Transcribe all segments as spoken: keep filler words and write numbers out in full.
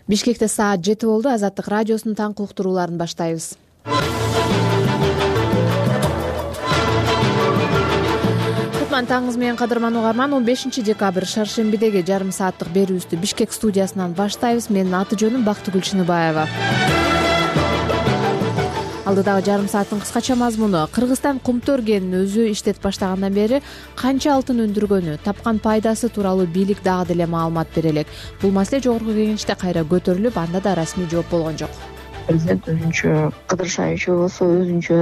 Бишкекте саат жети болду. Азаттык радиосунун таңкы уктурууларын баштайбыз. Кутман таңыңыз менен кадырман угарман. он бешинчи декабрь шаршембидеги жарым сааттык берүүбүздү Бишкек студиясынан баштайбыз. Менин аты жөнүм Бактыгүл Чыныбаева. Алдыдагы жарым сааттын кыскача мазмуну: Кыргызстан кумтөр кенин өзү иштетип баштагандан бери канча алтын өндүргөнү, тапкан пайдасы тууралуу бийлик дагы деле маалымат бере элек. Бул маселе жогорку кеңеште кайра көтөрүлүп, анда да расмий жооп болгон жок. Президент өзүнчө кыдыршаевич болсо өзүнчө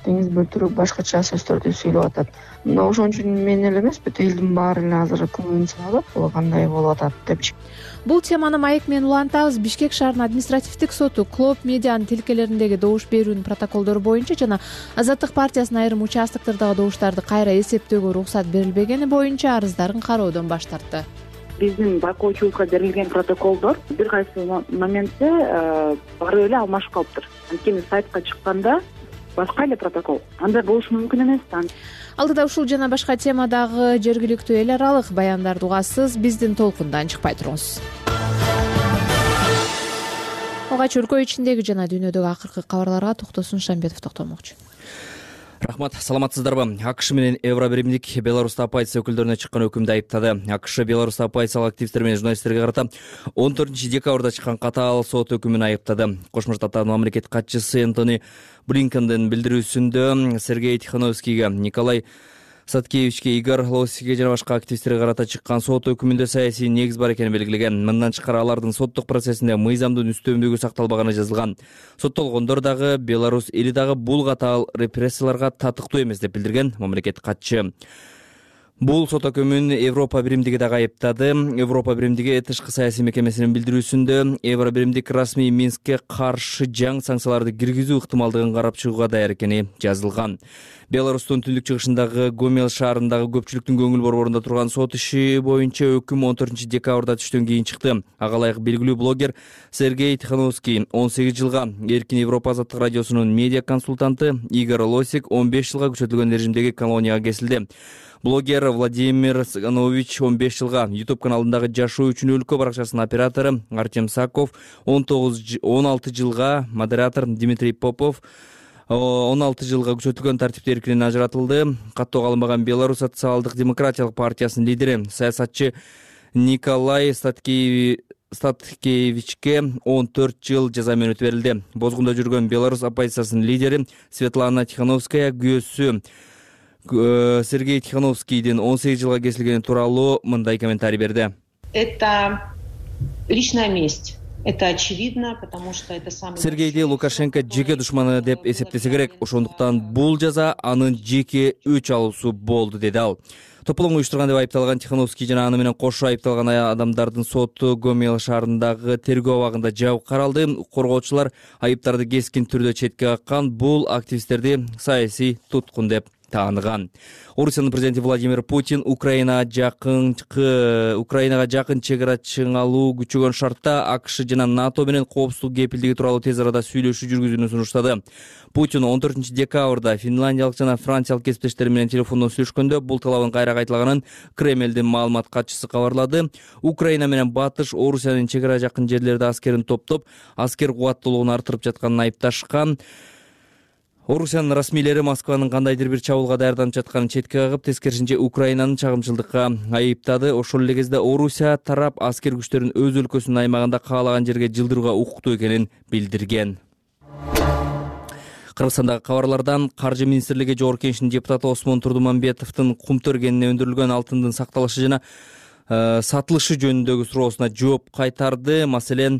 теңиз бөлтүрүк башкача сөздөрдү сүйлөп атат. Мына ошон үчүн мен эле эмес, бүт элдин баары эле азыр көңүлүн чыгарып, бул кандай болуп атат депчи. Бул теманы маек менен улантабыз. Бишкек шаарынын административдик соту Клоп медианын тилкелериндеги добуш берүүнүн протоколдору боюнча жана Азаттык партиясынын айрым участоктордогу добуштарды кайра эсептөөгө уруксат берилбегени боюнча арыздарын кароодон баш тартты. Биздин байкоочулукка берилген протоколдор бир кайсы моментте барып эле алмашып калыптыр. Анткени сайтка чыкканда башка эле протокол. Андай болушу мүмкүн эмес да. Алдыда ушул жана башка темадагы жергиликтүү эл аралык баяндарды угасыз. Биздин толкундан чыкпай туруңуз. Алгач өлкө ичиндеги жана дүйнөдөгү акыркы кабарларга Токтосун Шамбетов токтолмокчу. Рахмат, саламатсыздарбы? АКШ менен Евробиримдик Беларусьта оппозиция өкүлдөрүнө чыккан өкүмдү айыптады. АКШ Беларусьта оппозициялык активисттер менен журналисттерге карата он төртүнчү декабрда чыккан катаал сот өкүмүн айыптады. Кошмо Штаттардын мамлекеттик катчысы Энтони Блинкендин билдирүүсүндө Сергей Тихановскийге, Николай Саткевичке, Игорь Лосикке жана башка активисттерге карата чыккан сот өкүмүндө саясий негиз бар экени белгилеген. Мындан тышкары алардын соттук процессинде мыйзамдын үстөмдүгү сакталбаганы жазылган. Соттолгондор дагы Беларусь эли дагы бул катаал репрессияларга татыктуу эмес деп билдирген мамлекеттик катчы. Бул сот өкүмүн Европа биримдиги дагы айыптады. Европа биримдиги тышкы саясий мекемесинин билдирүүсүндө Евробиримдик расмий Минскке каршы жаңы санкцияларды киргизүү ыктымалдыгын карап чыгууга даяр экени жазылган. Беларустун түндүк чыгышындагы Гомел шаарындагы көпчүлүктүн көңүл борборунда турган сот иши боюнча өкүм он төртүнчү декабрда түштөн кийин чыкты. Ага ылайык белгилүү блогер Сергей Тихановский он сегиз жылга, Эркин Европа азаттык радиосунун медиа консультанты Игорь Лосик он беш жылга күчөтүлгөн режимдеги колонияга кесилди. Блогер Владимир Цыганович он беш жылга, YouTube каналындагы Жашоо үчүн өлкө баракчасынын оператору Артем Саков он тогуз он алты жылга, модератор Дмитрий Попов он алты жылга күчөтүлгөн тартипти эркинен ажыратылды. Каттоого алынбаган Беларусь социалдык демократиялык партиясынын лидери саясатчы Николай Статкевичке он төрт жыл жаза мөөнөтү берилди. Бозгунда жүргөн Беларусь оппозициясынын лидери Светлана Тихановская күйөөсү Сергей Тихановскийдин он сегиз жылга кесилгени тууралуу мындай комментарий берди. Это личная месть. Это очевидно, потому что это самый... Сергейди Лукашенко жеке душманы деп эсептесе керек. Ошондуктан бул жаза анын жеке өч алуусу болду, деди ал. Тополоң уюштурган деп айыпталган Тихановский жана аны менен кошо айыпталган адамдардын соту Гомел шаарындагы тергөө абагында жабык каралды. Коргоочулар айыптарды кескин түрдө четке каккан, бул активисттерди саясий туткун деп тааныган. Орусиянын президенти Владимир Путин Украина жакынкы Украинага жакын чек ара чыңалуу күчөгөн шартта АКШ жана НАТО менен коопсуздук кепилдиги тууралуу тез арада сүйлөшүү жүргүзүүнү сунуштады. Путин он төртүнчү декабрда финляндиялык жана франциялык кесиптештери менен телефондон сүйлөшкөндө бул талабын кайра кайталаганын Кремлдин маалымат катчысы кабарлады. Украина менен батыш Орусиянын чек ара жакын жерлерде аскерин топтоп, аскер кубаттуулугун арттырып жатканын айыпташкан. Орусиянын расмийлери Москванын кандайдыр бир чабуулга даярданып жатканын четке кагып, тескерисинче Украинаны чагымчылдыкка айыптады. Ошол эле кезде Орусия тарап аскер күчтөрүн өз өлкөсүнүн аймагында каалаган жерге жылдырууга укуктуу экенин билдирген. Кыргызстандагы кабарлардан Каржы министрлиги Жогорку Кеңешинин депутаты Осмон Турдумамбетовдун кумтөр кенине өндүрүлгөн алтындын сакталышы жана сатылышы жөнүндөгү суроосуна жооп кайтарды. Маселен,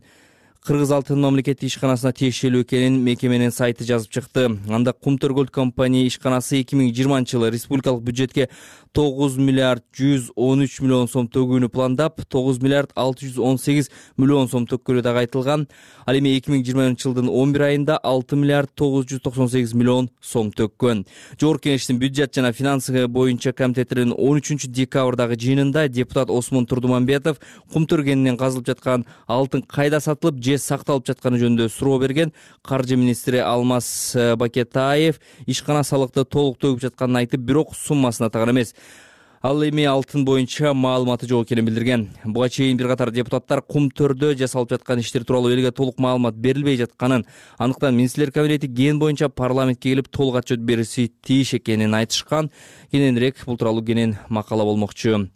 Кыргыз алтын мамлекеттик ишканасына тиешелүү экенин мекеменин сайты жазып чыкты. Анда Кумтөр Голд компания ишканасы эки миң жыйырманчы жылы республикалык бюджетке тогуз миллиард жүз он үч миллион сом төгүүнү пландап, тогуз миллиард алты жүз он сегиз миллион сом төккөлү дагы айтылган. Ал эми эки миң жыйырманчы жылдын он бир айында алты миллиард тогуз жүз токсон сегиз миллион сом төккөн. Жогорку Кеңештин бюджет жана финансы боюнча комитетинин он үчүнчү декабрдагы жыйынында депутат Осмон Турдумамбетов кумтөр кенинен казылып жаткан алтын кайда сатылып же сакталып жатканы жөнүндө суроо берген. Каржы министри Алмаз Бакетаев ишкана салыкты толук төгүп жатканын айтып, бирок суммасын атаган эмес. Ал эми алтын боюнча маалыматы жок экенин билдирген. Буга чейин бир катар депутаттар Кумтөрдө жасалып жаткан иштер тууралуу элге толук маалымат берилбей жатканын, андыктан министрлер кабинети ген боюнча парламентке келип толук отчет бериши тийиш экенин айтышкан. Кененирээк бул тууралуу кенен макала болмокчу.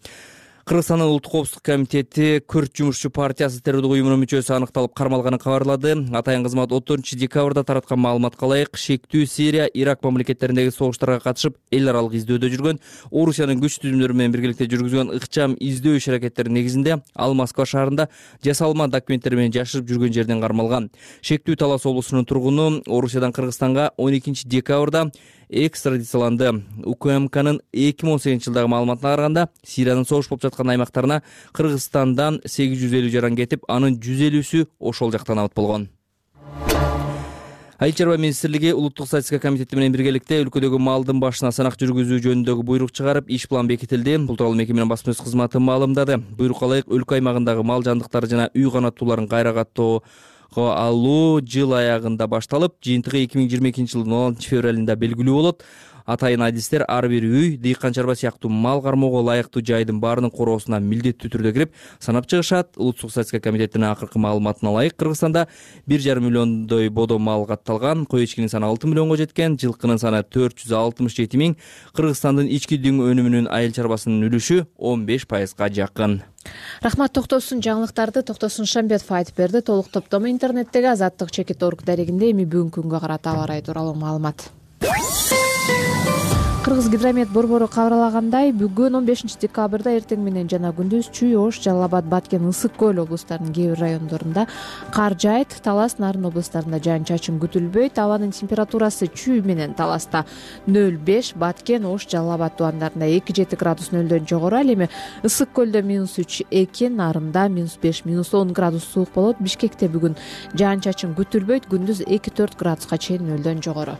Кыргызстандын улуттук коопсуздук комитети Күрт жумушчу партиясы террордук уюмунун мүчөсү аныкталып кармалганын кабарлады. Атайын кызмат он төртүнчү декабрда тараткан маалыматка ылайык, шектүү Сирия, Ирак мамлекеттериндеги согуштарга катышып эл аралык издөөдө жүргөн, Орусиянын күч түзүмдөрү менен биргеликте жүргүзгөн ыкчам издөө иш аракеттеринин негизинде ал Москва шаарында жасалма документтер менен жашырып жүргөн жерден кармалган. Шектүү Талас облусунун тургуну Орусиядан Кыргызстанга он экинчи декабрда экстрадицияланды. УКМКнын эки миң он сегизинчи жылдагы маалыматына караганда, Сириянын согуш болуп жаткан аймактарына Кыргызстандан сегиз жүз элүү жаран кетип, анын жүз элүүсү ошол жактан абыт болгон. Айыл чарба министрлиги улуттук статистика комитети менен биргеликте өлкөдөгү малдын башына санак жүргүзүү жөнүндөгү буйрук чыгарып, иш план бекитилди. Бул тууралуу мекеменин басма сөз кызматы маалымдады. Буйрукка ылайык өлкө аймагындагы мал жандыктары жана үй канаттууларын кайра каттоо алуу жыл аягында башталып, жыйынтыгы эки миң жыйырма экинчи жылдын он алтынчы февралында белгилүү болот. Атайын адистер ар бир үй, дыйкан чарба сыяктуу мал кармоого ылайыктуу жайдын баарынын короосуна милдеттүү түрдө кирип санап чыгышат. Улуттук статистика комитетинин акыркы маалыматына ылайык, Кыргызстанда бир жарым миллиондой бодо мал катталган, кой эчкинин саны алты миллионго жеткен, жылкынын саны төрт жүз алтымыш жети миң. Кыргызстандын ички дүң өнүмүнүн айыл чарбасынын үлүшү он беш пайызга жакын. Рахмат, токтосун жаңылыктарды Токтосун Шамбетов айтып берди. Толук топтому интернеттеги Азаттык чекит точка орг дарегинде. Эми бүгүнкү күнгө карата аба ырайы тууралуу маалымат. Кыргыз гидромет борбору кабарлагандай, бүгүн он бешинчи декабрда эртең менен жана күндүз Чүй, Ош, Жалал Абад, Баткен, Ысык көл облустарынын кээ бир райондорунда кар жаайт. Талас, Нарын облустарында жаан-чачын күтүлбөйт. Абанын температурасы Чүй менен Таласта нөл беш, Баткен, Ош, Жалал Абад тубандарында эки жети градус нөлдөн жогору. Ал эми Ысык көлдө минус үч эки, Нарында минус беш, минус он градус суук болот. Бишкекте бүгүн жаан-чачын күтүлбөйт. Күндүз эки төрт градуска чейин нөлдөн жогору.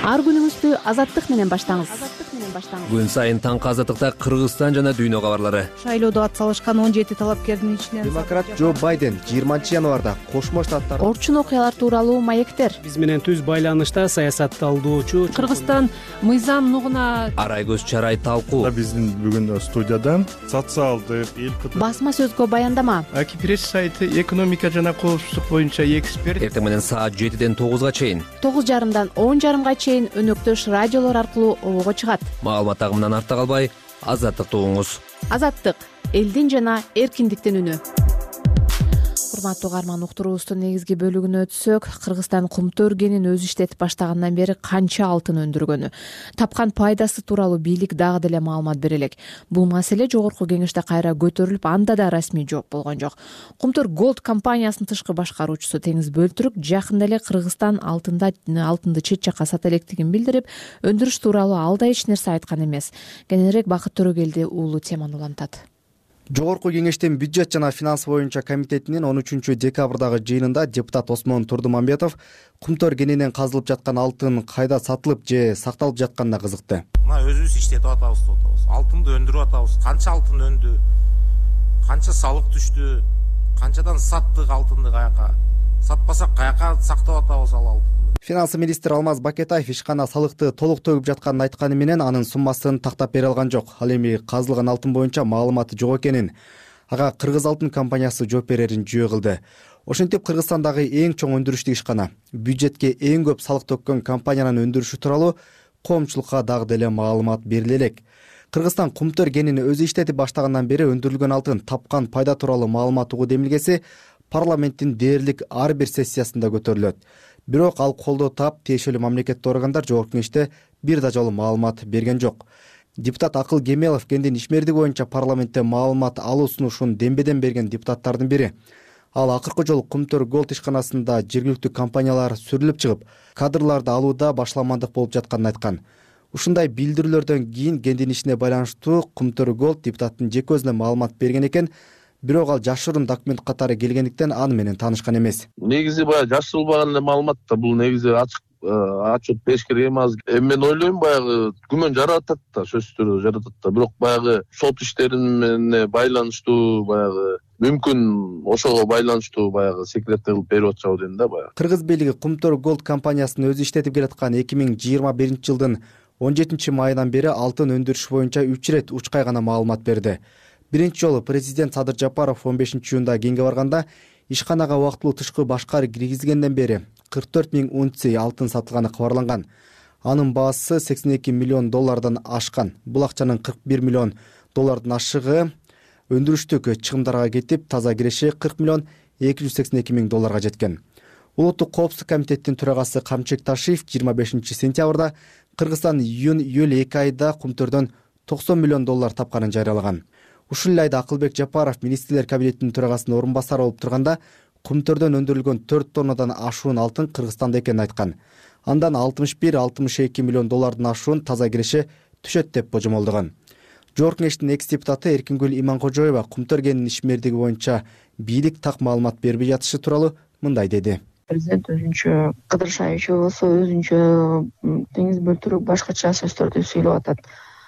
Ар күнүңүздү Азаттык менен баштаңыз. Күн сайын таңкы Азаттыкта Кыргызстан жана дүйнө кабарлары. Шайлоодо ат салышкан он жети талапкердин ичинен демократ Джо Байден жыйырманчы январда Кошмо Штаттар Орчун окуялар тууралуу маектер. Биз менен түз байланышта саясатталдоочу Кыргызстан мыйзам нугуна арай көз чарай талкуу. Биздин бүгүн студиядан социалдык эл басма сөзгө баяндама. Аки пресс сайты экономика жана коопсуздук боюнча эксперт. Эртең менен саат жетиден тогузга чейин, тогуз жарымдан он жарымга чейин өнөктөш радиолор аркылуу обого чыгат. Маалымат агымынан артта калбай, Азаттыкты угуңуз. Азаттык — элдин жана эркиндиктин үнү. Урматтуу угарман, уктуруубуздун негизги бөлүгүнө өтсөк, Кыргызстан Кумтөр кенин өзү иштетип баштагандан бери канча алтын өндүргөнү, тапкан пайдасы тууралуу бийлик дагы деле маалымат бере элек. Бул маселе жогорку кеңеште кайра көтөрүлүп, анда да расмий жооп болгон жок. Кумтөр Голд компаниясынын тышкы башкаруучусу Теңиз Бөлтүрүк жакында эле Кыргызстан алтында алтынды чет жакка сата электигин билдирип, өндүрүш тууралуу ал да эч нерсе айткан эмес. Кененирээк Бакыт Төрөгелди уулу теманы улантат. Жогорку кеңештин бюджет жана финанс боюнча комитетинин он үчүнчү декабрдагы жыйынында депутат Осмон Турдумамбетов Кумтөр кенинен казылып жаткан алтын кайда сатылып же сакталып жатканына кызыкты. Мына өзүбүз иштетип атабыз деп атабыз. Алтынды өндүрүп атабыз. Канча алтын өндү? Канча салык түштү? Канчадан саттык алтынды каяка? Сатпасак каяка сактап атабыз ал алтынды? Финанс министри Алмаз Бакетаев ишкана салыкты толук төгүп жатканын айтканы менен анын суммасын тактап бере алган жок. Ал эми казылган алтын боюнча маалыматы жок экенин, ага Кыргыз алтын компаниясы жооп берерин жүйө кылды. Ошентип Кыргызстандагы эң чоң өндүрүштүк ишкана, бюджетке эң көп салык төккөн компаниянын өндүрүшү тууралуу коомчулукка дагы деле маалымат бериле элек. Кыргызстан Кумтөр кенин өзү иштетип баштагандан бери өндүрүлгөн алтын тапкан пайда тууралуу маалымат угуу демилгеси парламенттин дээрлик ар бир сессиясында көтөрүлөт. Бирок ал колдоо таап, тиешелүү мамлекеттик органдар жогорку кеңеште бир да жолу маалымат берген жок. Депутат Акыл Кемелов кендин ишмердиги боюнча парламентте маалымат алуу сунушун дембеден берген депутаттардын бири. Ал акыркы жолу Кумтөр Голд ишканасында жергиликтүү компаниялар сүрүлүп чыгып, кадрларды алууда башламандык болуп жатканын айткан. Ушундай билдирүүлөрдөн кийин кендин ишине байланыштуу Кумтөр Голд депутаттын жеке өзүнө маалымат берген экен. Бирок ал жашыруун документ катары келгендиктен аны менен таанышкан эмес. Негизи баягы жашырылбаган эле маалымат да, бул негизи ачык отчет бериш керек эмес. Эми мен ойлойм баягы күмөн жаратат да, сөзсүз түрдө жаратат да. Бирок баягы сот иштери менен байланыштуу баягы мүмкүн ошого байланыштуу баягы секретный кылып берип атышабы дейм да баягы. Кыргыз бийлиги Кумтөр Голд компаниясын өзү иштетип келаткан эки миң жыйырма биринчи жылдын он жетинчи майынан бери алтын өндүрүш боюнча үч ирет учкай гана маалымат берди. Биринчи жолу президент Садыр Жапаров он бешинчи июнда кеңге барганда ишканага убактылуу тышкы башкар киргизгенден бери кырк төрт миң унция алтын сатылганы кабарланган. Анын баасы сексен эки миллион доллардан ашкан. Бул акчанын кырк бир миллион доллардын ашыгы өндүрүштүк чыгымдарга кетип, таза киреши кырк миллион эки жүз сексен эки миң долларга жеткен. Улуттук коопсуздук комитеттин төрагасы Камчек Ташиев жыйырма бешинчи сентябрда Кыргызстан июнь-июль эки айда кумтөрдөн токсон миллион доллар тапканын жарыялаган. Ушул эле айда Акылбек Жапаров министрлер кабинетинин төрагасынын орун басары болуп турганда кумтөрдөн өндүрүлгөн төрт тоннадан ашуун алтын Кыргызстанда экенин айткан. Андан алтымыш бир алтымыш эки миллион доллардын ашуун таза киреши түшөт деп божомолдогон. Жогорку Кеңештин экс депутаты Эркингүл Иманкожоева кумтөр кенинин ишмердиги боюнча бийлик так маалымат бербей жатышы тууралуу мындай деди. Президент өзүнчө кыдыршайчу болсо өзүнчө теңиз бөлтүрүк башкача сөздөрдү сүйлөп атат.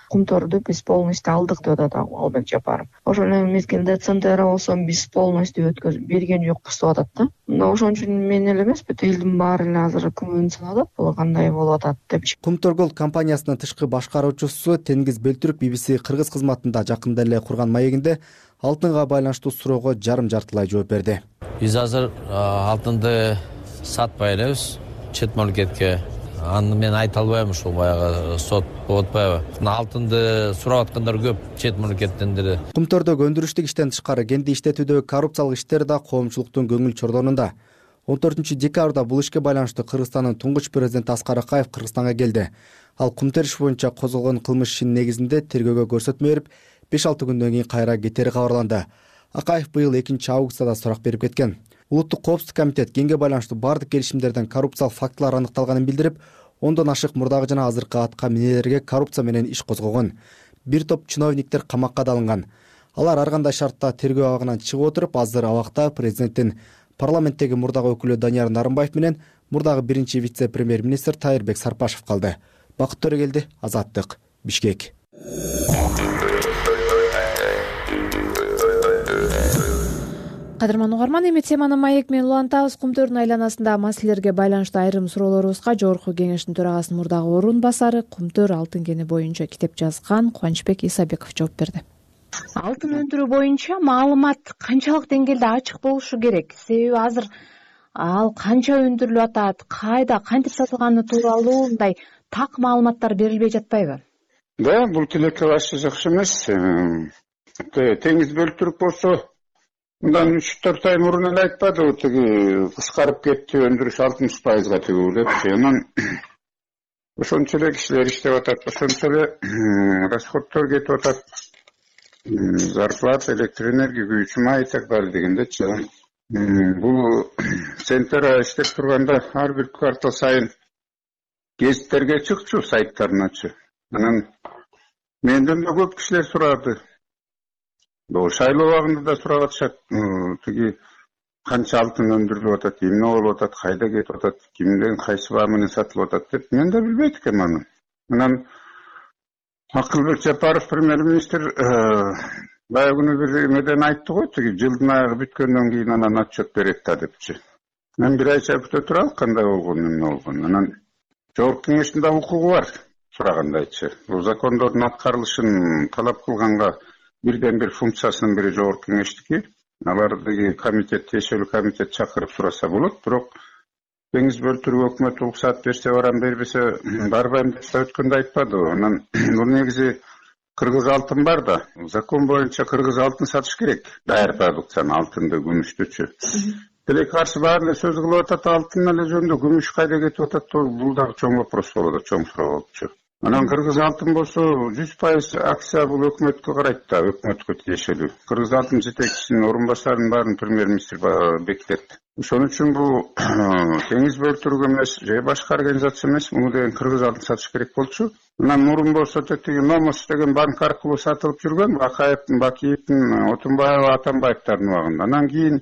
Кумторду биз полностью алдык деп атат Албек Жапаров. Ошол эле мезгилде Центр болсо биз полностью өткөзүп берген жокпуз деп атат да. Мына ошон үчүн мен эле эмес, бүт элдин баары эле азыр күмөн салып атат, бул кандай болуп атат депчи. Кумтор компаниясынын тышкы башкаруучусу Тенгиз Бөлтүрүк би би си Кыргыз кызматында жакында эле курган маегинде алтынга байланыштуу суроого жарым жартылай жооп берди. Биз азыр алтынды сатпай элебиз чет мамлекетке. Аны мен айта албайм, ушул баягы сот болуп атпайбы. Алтынды сурап аткандар көп чет мамлекеттен деле. Кумтордогу өндүрүштүк иштен тышкары кенди иштетүүдөгү коррупциялык иштер да коомчулуктун көңүл чордонунда. он төртүнчү декабрда бул ишке байланыштуу Кыргызстандын туңгуч президенти Аскар Акаев Кыргызстанга келди. Ал кумтөр иш боюнча козголгон кылмыш ишинин негизинде тергөөгө көрсөтмө берип, беш алты күндөн кийин кайра кетери кабарланды. Акаев быйыл экинчи августта да сурак берип кеткен. Улуттук коопсуздук комитет кеңге байланыштуу бардык келишимдерден коррупциялык фактылар аныкталганын билдирип, ондон ашык мурдагы жана азыркы атка минелерге коррупция менен иш козгогон. Бир топ чиновниктер камакка да алынган. Алар ар кандай шартта тергөө абагынан чыгып отуруп, азыр абакта президенттин парламенттеги мурдагы өкүлү Данияр Нарымбаев менен мурдагы биринчи вице-премьер-министр Тайырбек Сарпашев калды. Бакыт Төрөгелди, Азаттык, Бишкек. Кадырман угарман, эми теманы маек менен улантабыз. Кумтөрдүн айланасындагы маселелерге байланыштуу айрым суроолорубузга Жогорку Кеңештин төрагасынын мурдагы орун басары, Кумтөр алтын кени боюнча китеп жазган Кубанычбек Исабеков жооп берди. Алтын өндүрүү боюнча маалымат канчалык деңгээлде ачык болушу керек? Себеби азыр ал канча өндүрүлүп атат, кайда, кантип сатылганы тууралуу мындай так маалыматтар берилбей жатпайбы? Да, бул тилекке башчы жакшы эмес. Теңиз Бөлтүрүк болсо мындан үч төрт ай мурун эле айтпадыбы, тиги кыскарып кетти, өндүрүш алтымыш пайызга тигүү депчи. Анан ошончо эле кишилер иштеп атат, ошончо эле расходдор кетип атат. Зарплата, электр энергия, күйүүчү май и так далее дегендечи. Бул Центр иштеп турганда ар бир квартал сайын гезиттерге чыкчу, сайттарыначы. Анан менден да көп кишилер сурады. Бул шайлоо убагында да сурап атышат. Тиги канча алтын өндүрүлүп атат, эмне болуп атат, кайда кетип атат, кимден кайсы баа менен сатылып атат деп мен да билбейт экенмин аны. Анан Акылбек Жапаров премьер-министр баягы күнү бир эмеден айтты го, тиги жылдын аягы бүткөндөн кийин анан отчет берет да депчи. Мен бир айча күтө туралы кандай болгон, эмне болгон. Анан Жогорку Кеңештин да укугу бар сурагандайчы. Бул закондордун аткарылышын талап кылганга бирден бир функциясынын бири Жогорку Кеңештики. Алар деги комитет, тиешелүү комитет чакырып сураса болот, бирок Теңиз Бөлтүрүк өкмөт уруксат берсе барам, бербесе барбайм деп өткөндө айтпады. Анан бул негизи кыргыз алтын бар да, закон боюнча кыргыз алтын сатыш керек. Даяр продукцияны, алтынды, күмүштүчү. Тилекке каршы баары эле сөз кылып атат, алтын эле жөнүндө күмүш кайда кетип атат, бул дагы чоң вопрос болот, чоң суроо болчу. Анан кыргыз алтын болсо жүз пайыз акция бул өкмөткө карайт да, өкмөткө тиешелүү. Кыргыз алтын жетекчисинин орун басарынын баарын премьер-министр бекитет. Ошон үчүн бул Теңиз Бөлтүрүк эмес, же башка организация эмес, муну деген кыргыз алтын сатыш керек болчу. Анан мурун болсо тетиги Номос деген банк аркылуу сатылып жүргөн, Акаевдин, Бакиевдин, Отунбаев, Атамбаевдардын убагында. Анан кийин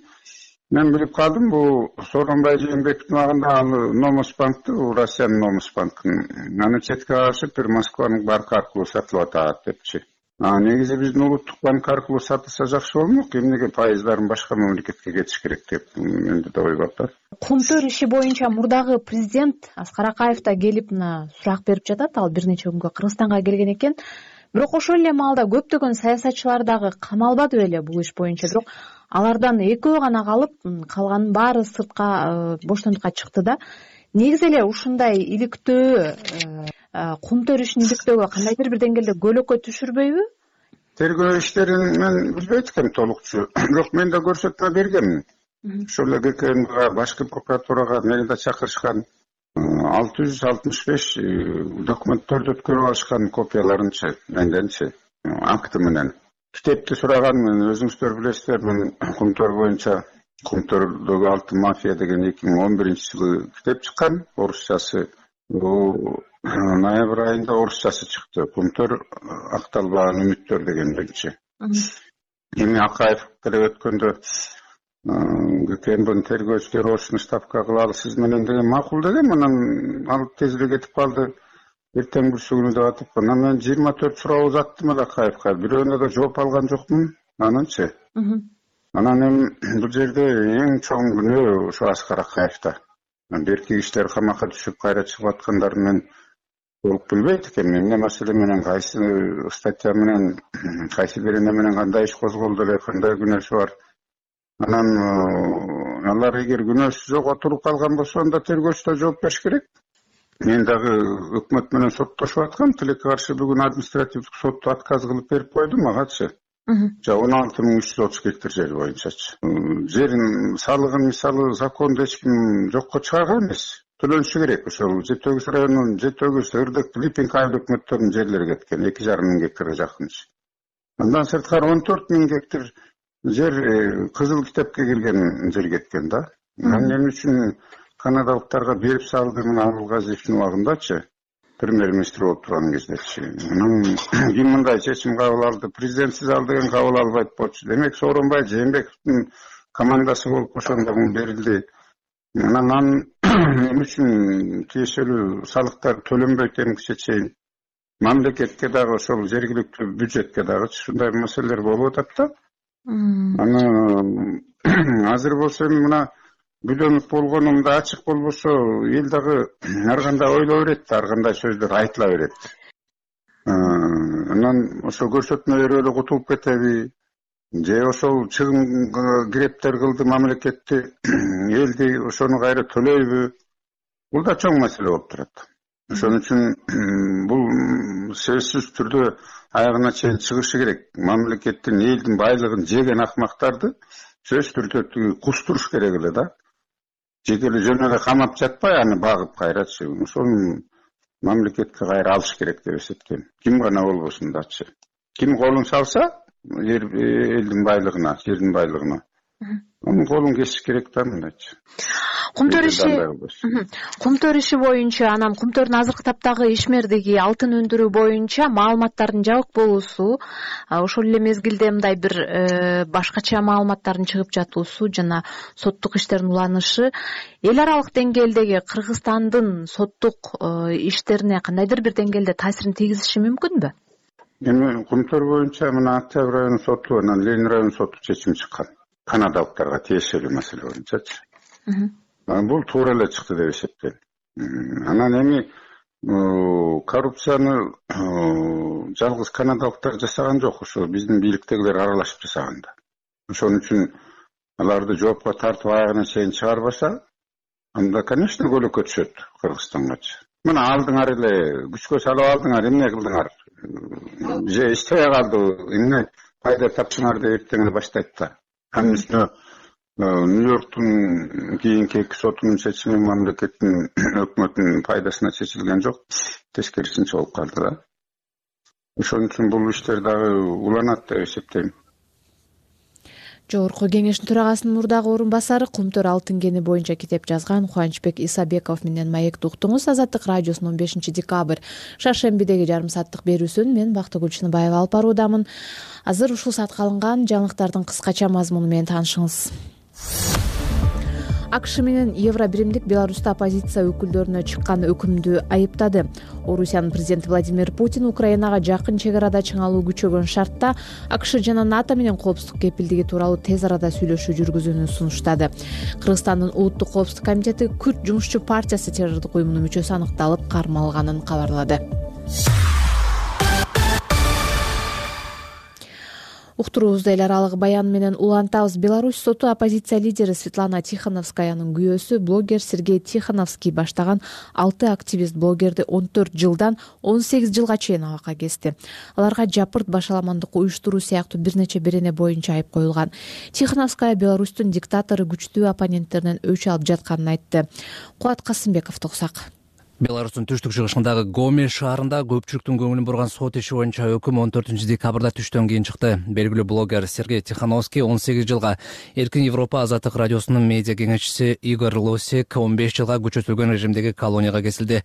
мен билип калдым, бул Сооронбай Жээнбековдун убагында ал Номос банкты, бул Россиянын Номос банкын, аны четке кагышып, бир Москванын банкы аркылуу сатылып атат депчи. Негизи биздин улуттук банк аркылуу сатылса жакшы болмок, эмнеге пайыздарын башка мамлекетке кетиш керек деп менде да ой бар. Кумтөр иши боюнча мурдагы президент Аскар Акаев да келип мына сурак берип жатат. Ал бир нече күнгө Кыргызстанга келген экен. Бирок ошол эле маалда көптөгөн саясатчылар дагы камалбады беле бул иш боюнча. Бирок алардан экөө гана калып, калганын баары сыртка боштондукка чыкты да. Негизи эле ушундай иликтөө кумтөр ишин иликтөөгө кандайдыр бир деңгээлде көлөкө түшүрбөйбү? Тергөө иштерин мен билбейт экенмин толукчу. Бирок мен да көрсөтмө бергенмин. Ошол эле ГКМга, башкы прокуратурага мени да чакырышкан. алты жүз алтымыш беш документтерди өткөрүп алышкан копияларынчы, менденчи, акты менен. Китепти сураганмын, өзүңүздөр билесиздер, мен кумтөр боюнча Кумтөрдөгү алтын мафия деген эки миң он биринчи жылы китеп чыккан, орусчасы. Ноябрь айында орусчасы чыкты. Кумтөр акталбаган үмүттөр деген биринчи. Эми Акаев деле өткөндө ГКМдин тергөөчүлөрү ошону ставка кылалы сиз менен деген макул деген, анан ал тезирээк кетип калды. Эртең бүрсү күнү деп атып, анан мен жыйырма төрт суроо узаттым эле Акаевка. Бирөөнө да жооп алган жокмун. Ананчы. Анан эми бул жерде эң чоң күнөө ошо Аскар Акаевда. Берки кишилер камакка түшүп кайра чыгып аткандарын мен толук билбейт экенмин. Эмне маселе менен, кайсы статья менен, кайсы берене менен кандай иш козголду эле, кандай күнөөсү бар. Анан алар эгер күнөөсү жок отуруп калган болсо, анда тергөөчү да жооп бериш керек. Мен дагы өкмөт менен соттошуп аткам. Тилекке каршы бүгүн административдик сотту отказ кылып берип койду магачы. Жа он алты миң үч жүз отуз гектар жер боюнчачы. Жерин салыгын мисалы законду эч ким жокко чыгарган эмес. Төлөнүшү керек. Ошол жети өгүз районунун жети өгүз Ырдык, Липинг айыл өкмөттөрүнүн жерлери кеткен, эки жарым миң гектарга жакынчы. Андан сырткары он төрт миң гектар жер кызыл китепке кирген жер кеткен да. Анан эмне үчүн канадалыктарга берип салды мына Абылгазиевдин убагындачы, премьер-министр болуп турган кездечи. Анан ким мындай чечим кабыл алды? Президент сиз ал деген кабыл албайт болчу. Демек Сооронбай Жээнбековдун командасы болуп ошондо мун берилди. Анан анын эмне үчүн тиешелүү салыктар төлөнбөйт эмгиче чейин мамлекетке дагы ошол жергиликтүү бюджетке дагы ушундай маселелер болуп атат да. Анан азыр болсо эми мына бүлөнүп болгонумда ачык болбосо эл дагы ар кандай ойлой берет, ар кандай сөздөр айтыла берет. Анан ошо көрсөтмө берип эле кутулуп кетеби? Же ошол чыгым грептер кылды мамлекетти, элди ошону кайра төлөйбү? Бул да чоң маселе болуп турат. Ошон үчүн бул сөзсүз түрдө аягына чейин чыгышы керек. Мамлекеттин, элдин байлыгын жеген акмактарды сөзсүз түрдө кустуруш керек эле да. Жекеле жөн эле камап жатпай, аны багып кайрачы. Ошону мамлекетке кайра алыш керек деп эсептейм. Ким гана болбосун дачы. Ким колун салса, элдин байлыгына, жердин байлыгына, анын колун кесиш керек да мындайчы. Кумтөр иши, кумтөр иши боюнча, анан кумтөрдүн азыркы таптагы ишмердиги алтын өндүрүү боюнча маалыматтардын жабык болуусу, ошол эле мезгилде мындай бир башкача маалыматтардын чыгып жатуусу жана соттук иштердин уланышы эл аралык деңгээлдеги Кыргызстандын соттук иштерине кандайдыр бир деңгээлде таасирин тийгизиши мүмкүнбү? Эми кумтөр боюнча мына Октябрь районунун соту анан Ленин районунун соту чечим чыккан. Канадалыктарга тиешелүү маселе боюнчачы. Бул туура эле чыкты деп эсептейм. Анан эми коррупцияны жалгыз канадалыктар жасаган жок, ошо биздин бийликтегилер аралашып жасаган да. Ошон үчүн аларды жоопко тартып аягына чейин чыгарбаса, анда конечно көлөкө түшөт Кыргызстангачы. Мына алдыңар эле күчкө салып алдыңар, эмне кылдыңар? Же иштебей калды, эмне пайда таптыңар деп эртең эле баштайт да. Анын үстүнө Нью-Йорктун кийинки эки сотунун чечими мамлекеттин өкмөтүнүн пайдасына чечилген жок, тескерисинче болуп калды да. Ошон үчүн бул иштер дагы уланат деп эсептейм. Жогорку кеңештин төрагасынын мурдагы орун басары Кумтөр алтын кени боюнча китеп жазган Кубанычбек Исабеков менен маекти уктуңуз. Азаттык радиосунун он бешинчи декабрь шаршембидеги жарым сааттык берүүсүн мен Бактыгүл Чыныбаева алып баруудамын. Азыр ушул саатка алынган жаңылыктардын кыскача мазмуну менен таанышыңыз. акш менен Евро биримдик Беларуста оппозиция өкүлдөрүнө чыккан өкүмдү айыптады. Орусиянын президенти Владимир Путин Украинага жакын чек арада чыңалуу күчөгөн шартта акш жана НАТО менен коопсуздук кепилдиги тууралуу тез арада сүйлөшүү жүргүзүүнү сунуштады. Кыргызстандын улуттук коопсуздук комитети Күрд жумушчу партиясы террордук уюмунун мүчөсү аныкталып кармалганын кабарлады. Уктуруубузда эл аралык баян менен улантабыз. Беларусь соту оппозиция лидери Светлана Тихановскаянын күйөөсү блогер Сергей Тихановский баштаган алты активист блогерди он төрт жылдан он сегиз жылга чейин абакка кести. Аларга жапырт башаламандык уюштуруу сыяктуу бир нече берене боюнча айып коюлган. Тихановская Беларустун диктатору күчтүү оппоненттеринен өч алып жатканын айтты. Кубат Касымбеков токсак. Беларустун түштүк-чыгышындагы Гомель шаарында көпчүлүктүн көңүлүн бурган сот иши боюнча өкүм он төртүнчү декабрда түштөн кийин чыкты. Белгилүү блогер Сергей Тихановский он сегиз жылга, Эркин Европа Азаттык радиосунун медиа кеңешчиси Игорь Лосик он беш жылга күчөтүлгөн режимдеги колонияга кесилди.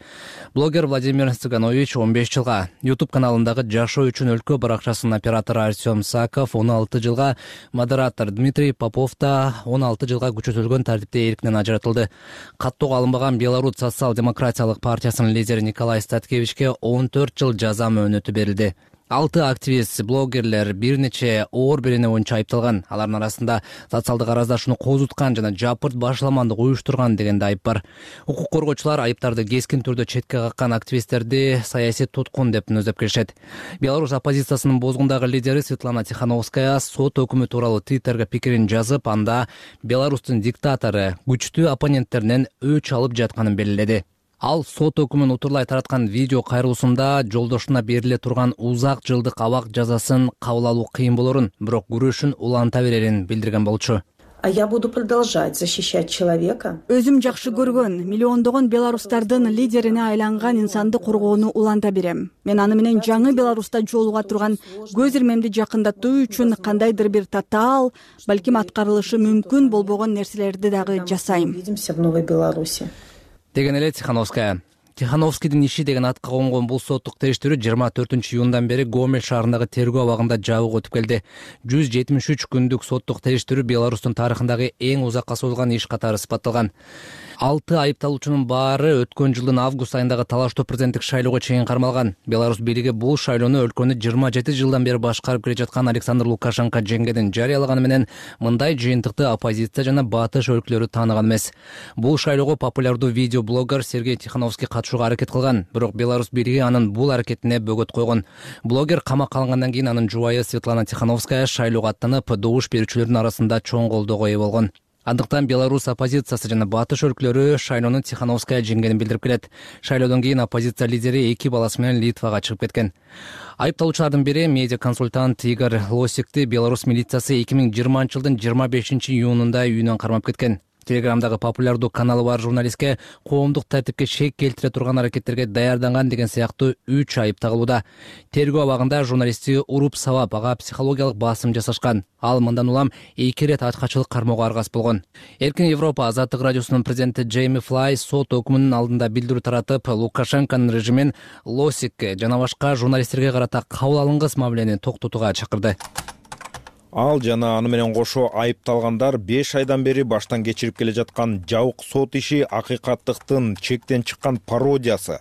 Блогер Владимир Цыганович он беш жылга, YouTube каналындагы Жашоо үчүн өлкө баракчасынын оператору Артем Саков он алты жылга, модератор Дмитрий Попов да он алты жылга күчөтүлгөн тартипте эркинен ажыратылды. Каттоого алынбаган Беларусь социал-демократиялык партиясынын лидери Николай Статкевичке он төрт жыл жаза мөөнөтү берилди. Алты активист, блогерлер бир нече оор берене боюнча айыпталган. Алардын арасында социалдык араздашууну козуткан жана жапырт башаламандык уюштурган деген да айып бар. Укук коргоочулар айыптарды кескин түрдө четке каккан активисттерди саясий туткун деп мүнөздөп келишет. Беларусь оппозициясынын бозгундагы лидери Светлана Тихановская сот өкүмү тууралуу Твиттерге пикирин жазып, анда Беларустун диктатору күчтүү оппоненттеринен өч алып жатканын белгиледи. Ал сот өкүмүн утурлай тараткан видео кайрылуусунда жолдошуна бериле турган узак жылдык абак жазасын кабыл алуу кыйын болорун, бирок күрөшүн уланта берерин билдирген болчу. А я буду продолжать защищать человека. Өзүм жакшы көргөн, миллиондогон беларустардын лидерине айланган инсанды коргоону уланта берем. Мен аны менен жаңы Беларуста жолуга турган көз ирмемди жакындатуу үчүн кандайдыр бир татаал, балким аткарылышы мүмкүн болбогон нерселерди дагы жасайм. Увидимся в Новой Беларуси. Деген эле Тихановская. Тихановскийдин иши деген атка конгон бул соттук териштирүү жыйырма төртүнчү июндан бери Гомель шаарындагы тергөө абагында жабык өтүп келди. жүз жетимиш үч күндүк соттук териштирүү Беларустун тарыхындагы эң узакка созулган иш катары сыпатталган. Алты айыпталуучунун баары өткөн жылдын август айындагы талаштуу президенттик шайлоого чейин кармалган. Беларусь бийлиги бул шайлоону өлкөнү жыйырма жети жылдан бери башкарып келе жаткан Александр Лукашенко жеңгенин жарыялаганы менен мындай жыйынтыкты оппозиция жана батыш өлкөлөрү тааныган эмес. Бул шайлоого популярдуу видеоблогер Сергей Тихановский катышууга аракет кылган, бирок Беларусь бийлиги анын бул аракетине бөгөт койгон. Блогер камакка алынгандан кийин анын жубайы Светлана Тихановская шайлоого аттанып, добуш берүүчүлөрдүн арасында чоң колдоого ээ болгон. Андыктан Беларусь оппозициясы жана батыш өлкөлөрү шайлоону Тихановская жеңгенин билдирип келет. Шайлоодон кийин оппозиция лидери эки баласы менен Литвага чыгып кеткен. Айыпталуучулардын бири медиа консультант Игорь Лосикти Беларусь милициясы эки миң жыйырманчы жылдын жыйырма бешинчи июнунда үйүнөн кармап кеткен. Телеграмдагы популярдуу каналы бар журналистке коомдук тартипке шек келтире турган аракеттерге даярданган деген сыяктуу үч айып тагылууда. Тергөө абагында журналистти уруп сабап, ага психологиялык басым жасашкан. Ал мындан улам эки ирет ачкачылык кармоого аргасыз болгон. Эркин Европа Азаттык радиосунун президенти Джейми Флай сот өкүмүнүн алдында билдирүү таратып, Лукашенконун режимин Лосикке жана башка журналисттерге карата кабыл алынгыс мамилени токтотууга чакырды. Ал жана аны менен кошо айыпталгандар беш айдан бери баштан кечирип келе жаткан жабык сот иши акыйкаттыктын чектен чыккан пародиясы.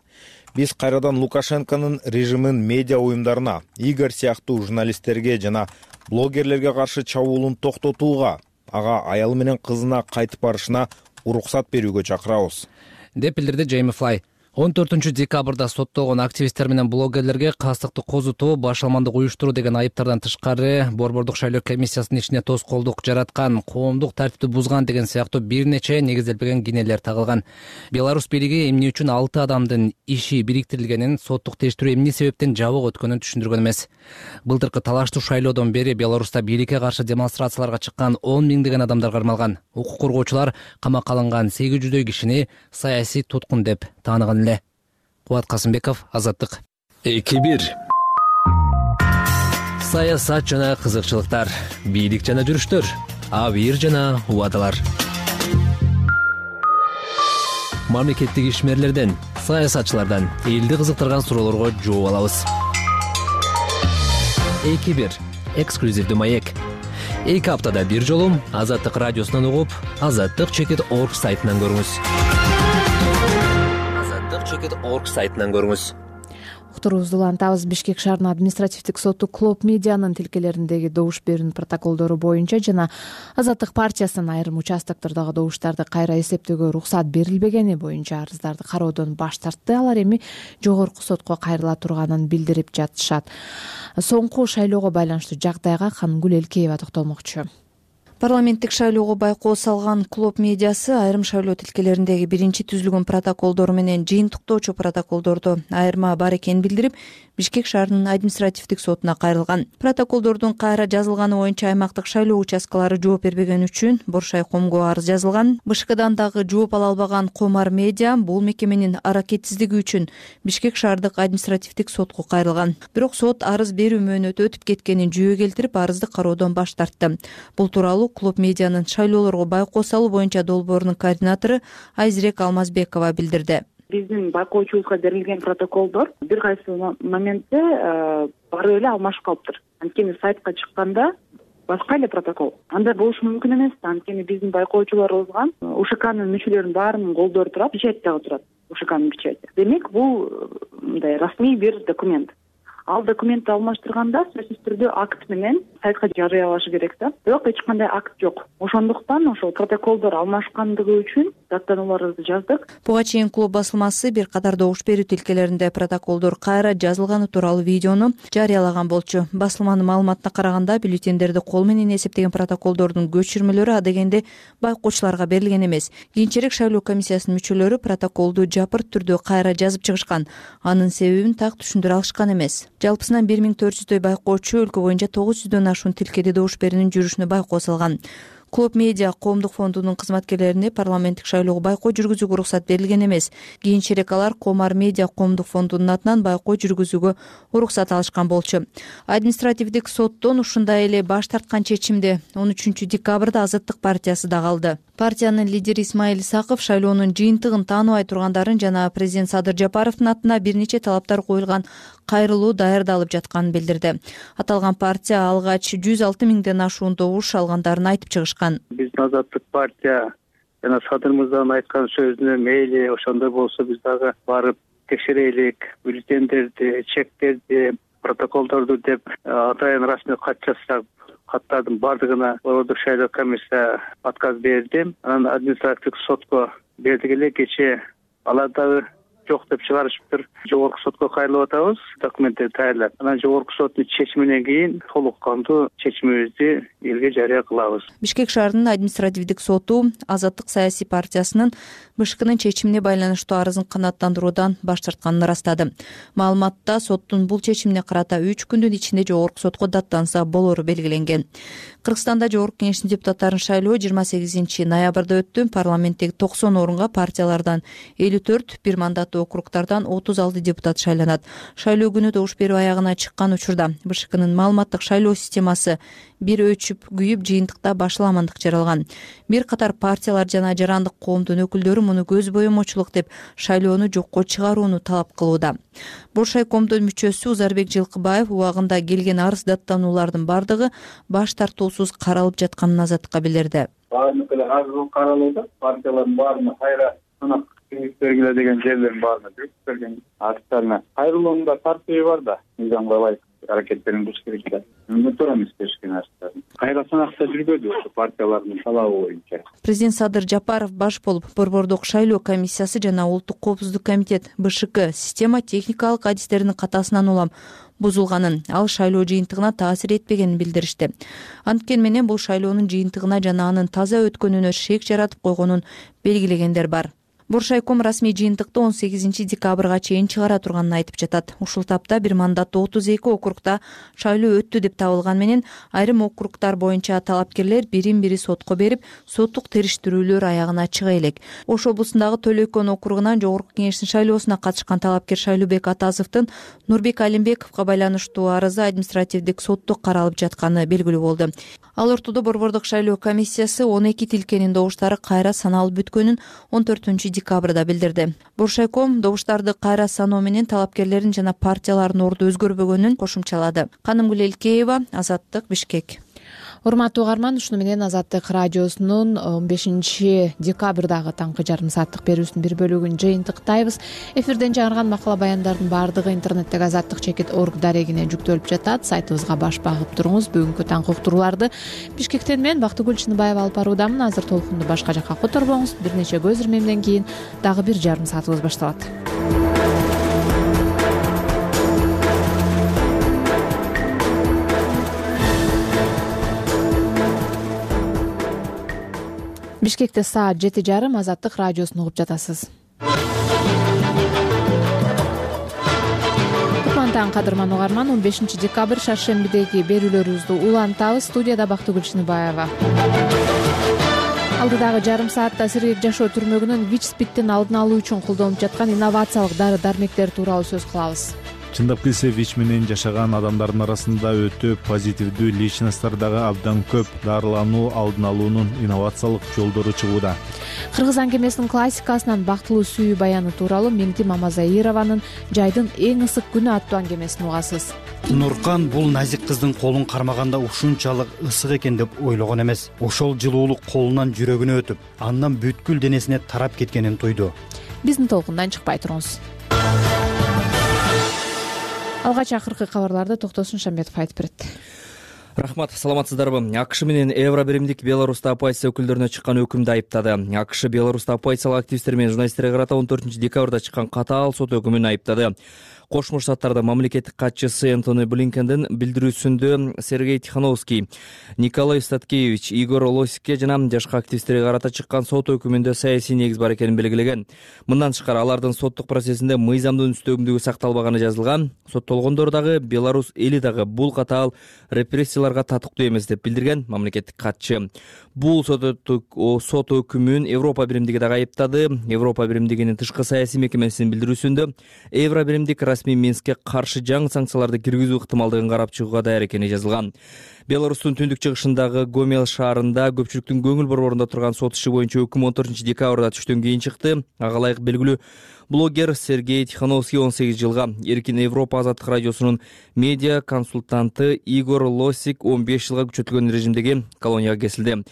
Биз кайрадан Лукашенконун режимин медиа уюмдарына, Игорь сыяктуу журналисттерге жана блогерлерге каршы чабуулун токтотууга, ага аялы менен кызына кайтып барышына уруксат берүүгө чакырабыз, деп билдирди Джейми Флай. он төртүнчү декабрда соттолгон активисттер менен блогерлерге кастыкты козутуу, башаламандык уюштуруу деген айыптардан тышкары Борбордук шайлоо комиссиясынын ишине тоскоолдук жараткан, коомдук тартипти бузган деген сыяктуу бир нече негизделбеген кинелер тагылган. Беларусь бийлиги эмне үчүн алты адамдын иши бириктирилгенин, соттук териштирүү эмне себептен жабык өткөнүн түшүндүргөн эмес. Былтыркы талаштуу шайлоодон бери Беларуста бийликке каршы демонстрацияларга чыккан он миңдеген адамдар кармалган. Укук коргоочулар камакка алынган сегиз жүздөй кишини саясий туткун деп тааныган эле. Кубат Касымбеков, Азаттык. эки бир. Саясат жана кызыкчылыктар, бийлик жана жүрүштөр, абийир жана убадалар. Мамлекеттик ишмерлерден, саясатчылардан элди кызыктырган суроолорго жооп алабыз. эки бир. Эксклюзивдүү маек. эки аптада бир жолу Азаттык радиосунан угуп, азаттык чекит орг сайтынан көрүңүз. азаттык чекит орг сайтынан көрүңүз. Уктуруубузду улантабыз. Бишкек шаарынын административдик соту Клоп медианын тилкелериндеги добуш берүүнүн протоколдору боюнча жана Азаттык партиясынын айрым участоктордогу добуштарды кайра эсептөөгө уруксат берилбегени боюнча арыздарды кароодон баш тартты. Алар эми жогорку сотко кайрыла турганын билдирип жатышат. Соңку шайлоого байланыштуу жагдайга Канымгүл Элкеева токтолмокчу. Парламенттик шайлоого байкоо салган Клоп медиасы айрым шайлоо тилкелериндеги биринчи түзүлгөн протоколдор менен жыйынтыктоочу протоколдордо айырма бар экенин билдирип, Бишкек шаарынын административдик сотуна кайрылган. Протоколдордун кайра жазылганы боюнча аймактык шайлоо участкалары жооп бербеген үчүн Боршай комго арыз жазылган. БШКдан дагы жооп ала албаган Комар медиа бул мекеменин аракетсиздиги үчүн Бишкек шаардык административдик сотко кайрылган. Бирок сот арыз берүү мөөнөтү өтүп кеткенин жүйө келтирип, арызды кароодон баш тартты. Бул тууралуу Клоп медианын шайлоолорго байкоо салуу боюнча долбоорунун координатору Айзирек Алмазбекова билдирди. Биздин байкоочубузга берилген протоколдор бир кайсы моментте баары эле алмашып калыптыр. Анткени сайтка чыкканда башка эле протокол. Андай болушу мүмкүн эмес. Анткени биздин байкоочуларыбызга УШКнын мүчөлөрүнүн баарынын колдору турат, печать дагы турат. УШКнын печати. Демек, бул мындай расмий бир документ. Ал документти алмаштырганда сөзсүз түрдө акт менен сайтка жарыялашы керек да. Бирок эч кандай акт жок. Ошондуктан ошол протоколдор алмашкандыгы үчүн даттанууларыбызды жаздык. Буга чейин Клоп басылмасы бир катар добуш берүү тилкелеринде протоколдор кайра жазылганы тууралуу видеону жарыялаган болчу. Басылманын маалыматына караганда, бюллетендерди кол менен эсептеген протоколдордун көчүрмөлөрү адегенде байкоочуларга берилген эмес. Кийинчерээк шайлоо комиссиясынын мүчөлөрү протоколду жапырт түрдө кайра жазып чыгышкан. Анын себебин так түшүндүрө алышкан эмес. Жалпысынан бир миң төрт жүздөй байкоочу өлкө боюнча тогуз жүздөн ашуун тилкеде добуш берүүнүн жүрүшүнө байкоо салган. Клоп медиа коомдук фондунун кызматкерлерине парламенттик шайлоого байкоо жүргүзүүгө уруксат берилген эмес. Кийинчерээк алар Комар медиа коомдук фондунун атынан байкоо жүргүзүүгө уруксат алышкан болчу. Административдик соттон ушундай эле баш тарткан чечимди он үчүнчү декабрда Азаттык партиясы дагы алды. Партиянын лидери Исмаил Исаков шайлоонун жыйынтыгын тааныбай тургандарын жана президент Садыр Жапаровдун атына бир нече талаптар коюлган кайрылуу даярдалып жатканын билдирди. Аталган партия алгач жүз алты миңден ашуун добуш алгандарын айтып чыгышкан. Биздин Азаттык партия жана Садыр мырзанын айткан сөзүнө мейли ошондой болсо биз дагы барып текшерелик, бюллетендерди, чектерди, протоколдорду деп атайын расмий кат жазсак, каттардын баардыгына Борбордук шайлоо комиссия отказ берди. Анан административдик сотко бердик эле, кечээ алар дагы жок деп чыгарышыптыр. Жогорку сотко кайрылып атабыз, документтерди даярдап. Анан жогорку соттун чечиминен кийин толук кандуу чечимибизди элге жарыя кылабыз. Бишкек шаарынын административдик соту Азаттык саясий партиясынын БШКнын чечимине байланыштуу арызын канааттандыруудан баш тартканын ырастады. Маалыматта соттун бул чечимине карата үч күндүн ичинде жогорку сотко даттанса болору белгиленген. Кыргызстанда жогорку кеңештин депутаттарын шайлоо жыйырма сегизинчи ноябрда өттү. Парламенттеги токсон орунга партиялардан элүү төрт, бир мандаттуу округдардан отуз алты депутат шайланат. Шайлоо күнү добуш берүү аягына чыккан учурда БШКнын маалыматтык шайлоо системасы бир өчүп, күйүп, жыйынтыкта башаламандык жаралган. Бир катар партиялар жана жарандык коомдун өкүлдөрү муну көз боемочулук деп шайлоону жокко чыгарууну талап кылууда. Боршай комдун мүчөсү Узарбек Жылкыбаев убагында келген арыз даттануулардын бардыгы баш тартуусуз каралып жатканын Азаттыкка билдирди. Баардык эле арыз каралууда, партиялардын баарына кайра санак кеңеш бергиле деген жерлердин баарына жүрүп берген арызддарына кайрылуунун да тартиби бар да, мыйзамга ылайык аракеттерин кылыш керек да. Мөөнөттөр эмес беришкен арыздарын. Кайра санакта жүрбөдү ошо партиялардын талабы боюнча. Президент Садыр Жапаров баш болуп, Борбордук шайлоо комиссиясы жана Улуттук коопсуздук комитет БШК система техникалык адистеринин катасынан улам бузулганын, ал шайлоо жыйынтыгына таасир этпегенин билдиришти. Анткени менен бул шайлоонун жыйынтыгына жана анын таза өткөнүнө шек жаратып койгонун белгилегендер бар. Боршайком расмий жыйынтыкты он сегизинчи декабрга чейин чыгара турганын айтып жатат. Ушул тапта бир мандаттуу отуз эки округда шайлоо өттү деп табылган менен айрым округдар боюнча талапкерлер бирин бири сотко берип, соттук териштирүүлөр аягына чыга элек. Ош облусундагы Төлөйкөн округунан жогорку кеңештин шайлоосуна катышкан талапкер Шайлообек Атазовдун Нурбек Алимбековго байланыштуу арызы административдик сотто каралып жатканы белгилүү болду. Ал ортодо Борбордук шайлоо комиссиясы он эки тилкенин добуштары кайра саналып бүткөнүн он төртүнчү декабрда билдирди. Боршайком добуштарды кайра саноо менен талапкерлердин жана партиялардын орду өзгөрбөгөнүн кошумчалады. Канымгүл Элкеева, Азаттык, Бишкек. урматтуу угарман, ушуну менен Азаттык радиосунун он бешинчи декабрдагы таңкы жарым сааттык берүүсүнүн бир бөлүгүн жыйынтыктайбыз. Эфирден жаңырган макала баяндардын баардыгы интернеттеги азаттык чекит орг дарегине жүктөлүп жатат. Сайтыбызга баш багып туруңуз. Бүгүнкү таңкы уктурууларды Бишкектен мен Бактыгүл Чыныбаева алып баруудамын. Азыр толкунду башка жакка которбоңуз. Бир нече көз ирмемден кийин дагы бир жарым саатыбыз башталат. Бишкекте саат жети жарым. Азаттык радиосун угуп жатасыз. Кутман кадырман угарман, он бешинчи декабрь шаршембидеги берүүлөрүбүздү улантабыз. Студияда Бактыгүл Чыныбаева. Алдыдагы жарым саатта сергек жашоо түрмөгүнөн ВИЧ-СПИДтин алдын алуу үчүн колдонулуп жаткан инновациялык дары дармектер тууралуу сөз кылабыз. Чындап келсе, ВИЧ менен жашаган адамдардын арасында өтө позитивдүү личносттор дагы абдан көп. Дарылануу алдын алуунун инновациялык жолдору чыгууда. Кыргыз аңгемесинин классикасынан бактылуу сүйүү баяны тууралуу Меңти Мамазаированын «Жайдын эң ысык күнү» аттуу аңгемесин угасыз. Нуркан бул назик кыздын колун кармаганда ушунчалык ысык экен деп ойлогон эмес. Ошол жылуулук колунан жүрөгүнө өтүп, андан бүткүл денесине тарап кеткенин тойду. Биздин толкундан чыкпай туруңуз. Алгач акыркы кабарларды Токтосун Шамбетов айтып берет. Рахмат, саламатсыздарбы? АКШ менен Евробиримдик Беларуста оппозиция өкүлдөрүнө чыккан өкүмдү айыптады. АКШ Беларуста оппозициялык активисттер менен журналисттерге карата он төртүнчү декабрда чыккан катаал сот өкүмүн айыптады. Кошмо Штаттарда мамлекеттик катчысы Энтони Блинкендин билдирүүсүндө Сергей Тихановский, Николай Статкевич, Игорь Лосикке жана жашка активисттерге карата чыккан сот өкүмүндө саясий негиз бар экенин белгилеген. Мындан тышкары алардын соттук процессинде мыйзамдын үстөмдүгү сакталбаганы жазылган. Соттолгондор дагы, Беларусь эли дагы бул катаал репрессияларга татыктуу эмес деп билдирген мамлекеттик катчы. Бул сот өкүмүн Европа биримдиги дагы айыптады. Европа биримдигинин тышкы саясий мекемесинин билдирүүсүндө Евробиримдик расмий Минскке каршы жаңы санкцияларды киргизүү ыктымалдыгын карап чыгууга даяр экени жазылган. Беларустун түндүк чыгышындагы Гомел шаарында көпчүлүктүн көңүл борборунда турган сот иши боюнча өкүм он төртүнчү декабрда түштөн кийин чыкты. Ага ылайык белгилүү блогер Сергей Тихановский он сегиз жылга, Эркин Европа азаттык радиосунун медиа консультанты Игорь Лосик он беш жылга күчөтүлгөн режимдеги колонияга кесилди.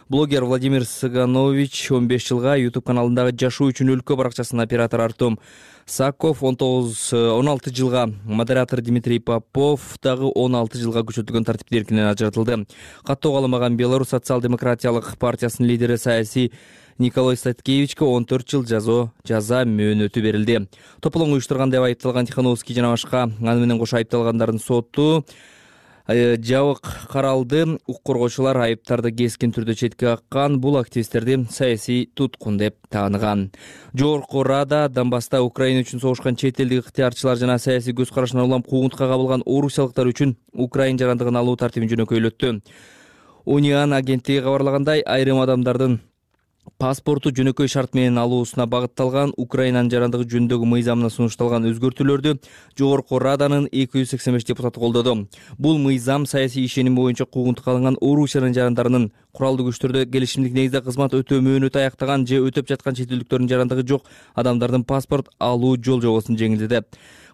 Блогер Владимир Саганович он беш жылга, YouTube каналындагы Жашоо үчүн өлкө баракчасынын оператору Артем Саков он тогуз он алты жылга, модератор Дмитрий Попов дагы он алты жылга күчөтүлгөн тартипти эркинен ажыратылды. Каттоо кааламаган Беларусь социал-демократиялык партиясынын лидери саясий Николай Статкевичке он төрт жыл жазо жаза мөөнөтү берилди. Тополоң уюштурган деп айыпталган Тихановский жана башка аны менен кошо айыпталгандардын соту жабык каралды. Укук коргоочулар айыптарды кескин түрдө четке каккан, бул активисттерди саясий туткун деп тааныган. Жогорку Рада Донбасста Украина үчүн согушкан чет элдик ыктыярчылар жана саясий көз карашынан улам куугунтукка кабылган орусиялыктар үчүн Украина жарандыгын алуу тартибин жөнөкөйлөттү. Униан агенттиги кабарлагандай, айрым адамдардын паспорту жөнөкөй шарт менен алуусуна багытталган Украинанын жарандыгы жөнүндөгү мыйзамына сунушталган өзгөртүүлөрдү Жогорку Раданын эки жүз сексен беш депутаты колдоду. Бул мыйзам саясий ишеним боюнча куугунтукка алынган Орусиянын жарандарынын куралдуу күчтөрдө келишимдик негизде кызмат өтөө мөөнөтү аяктаган же өтөп жаткан чет элдиктердин жарандыгы жок адамдардын паспорт алуу жол жобосун жеңилдетет.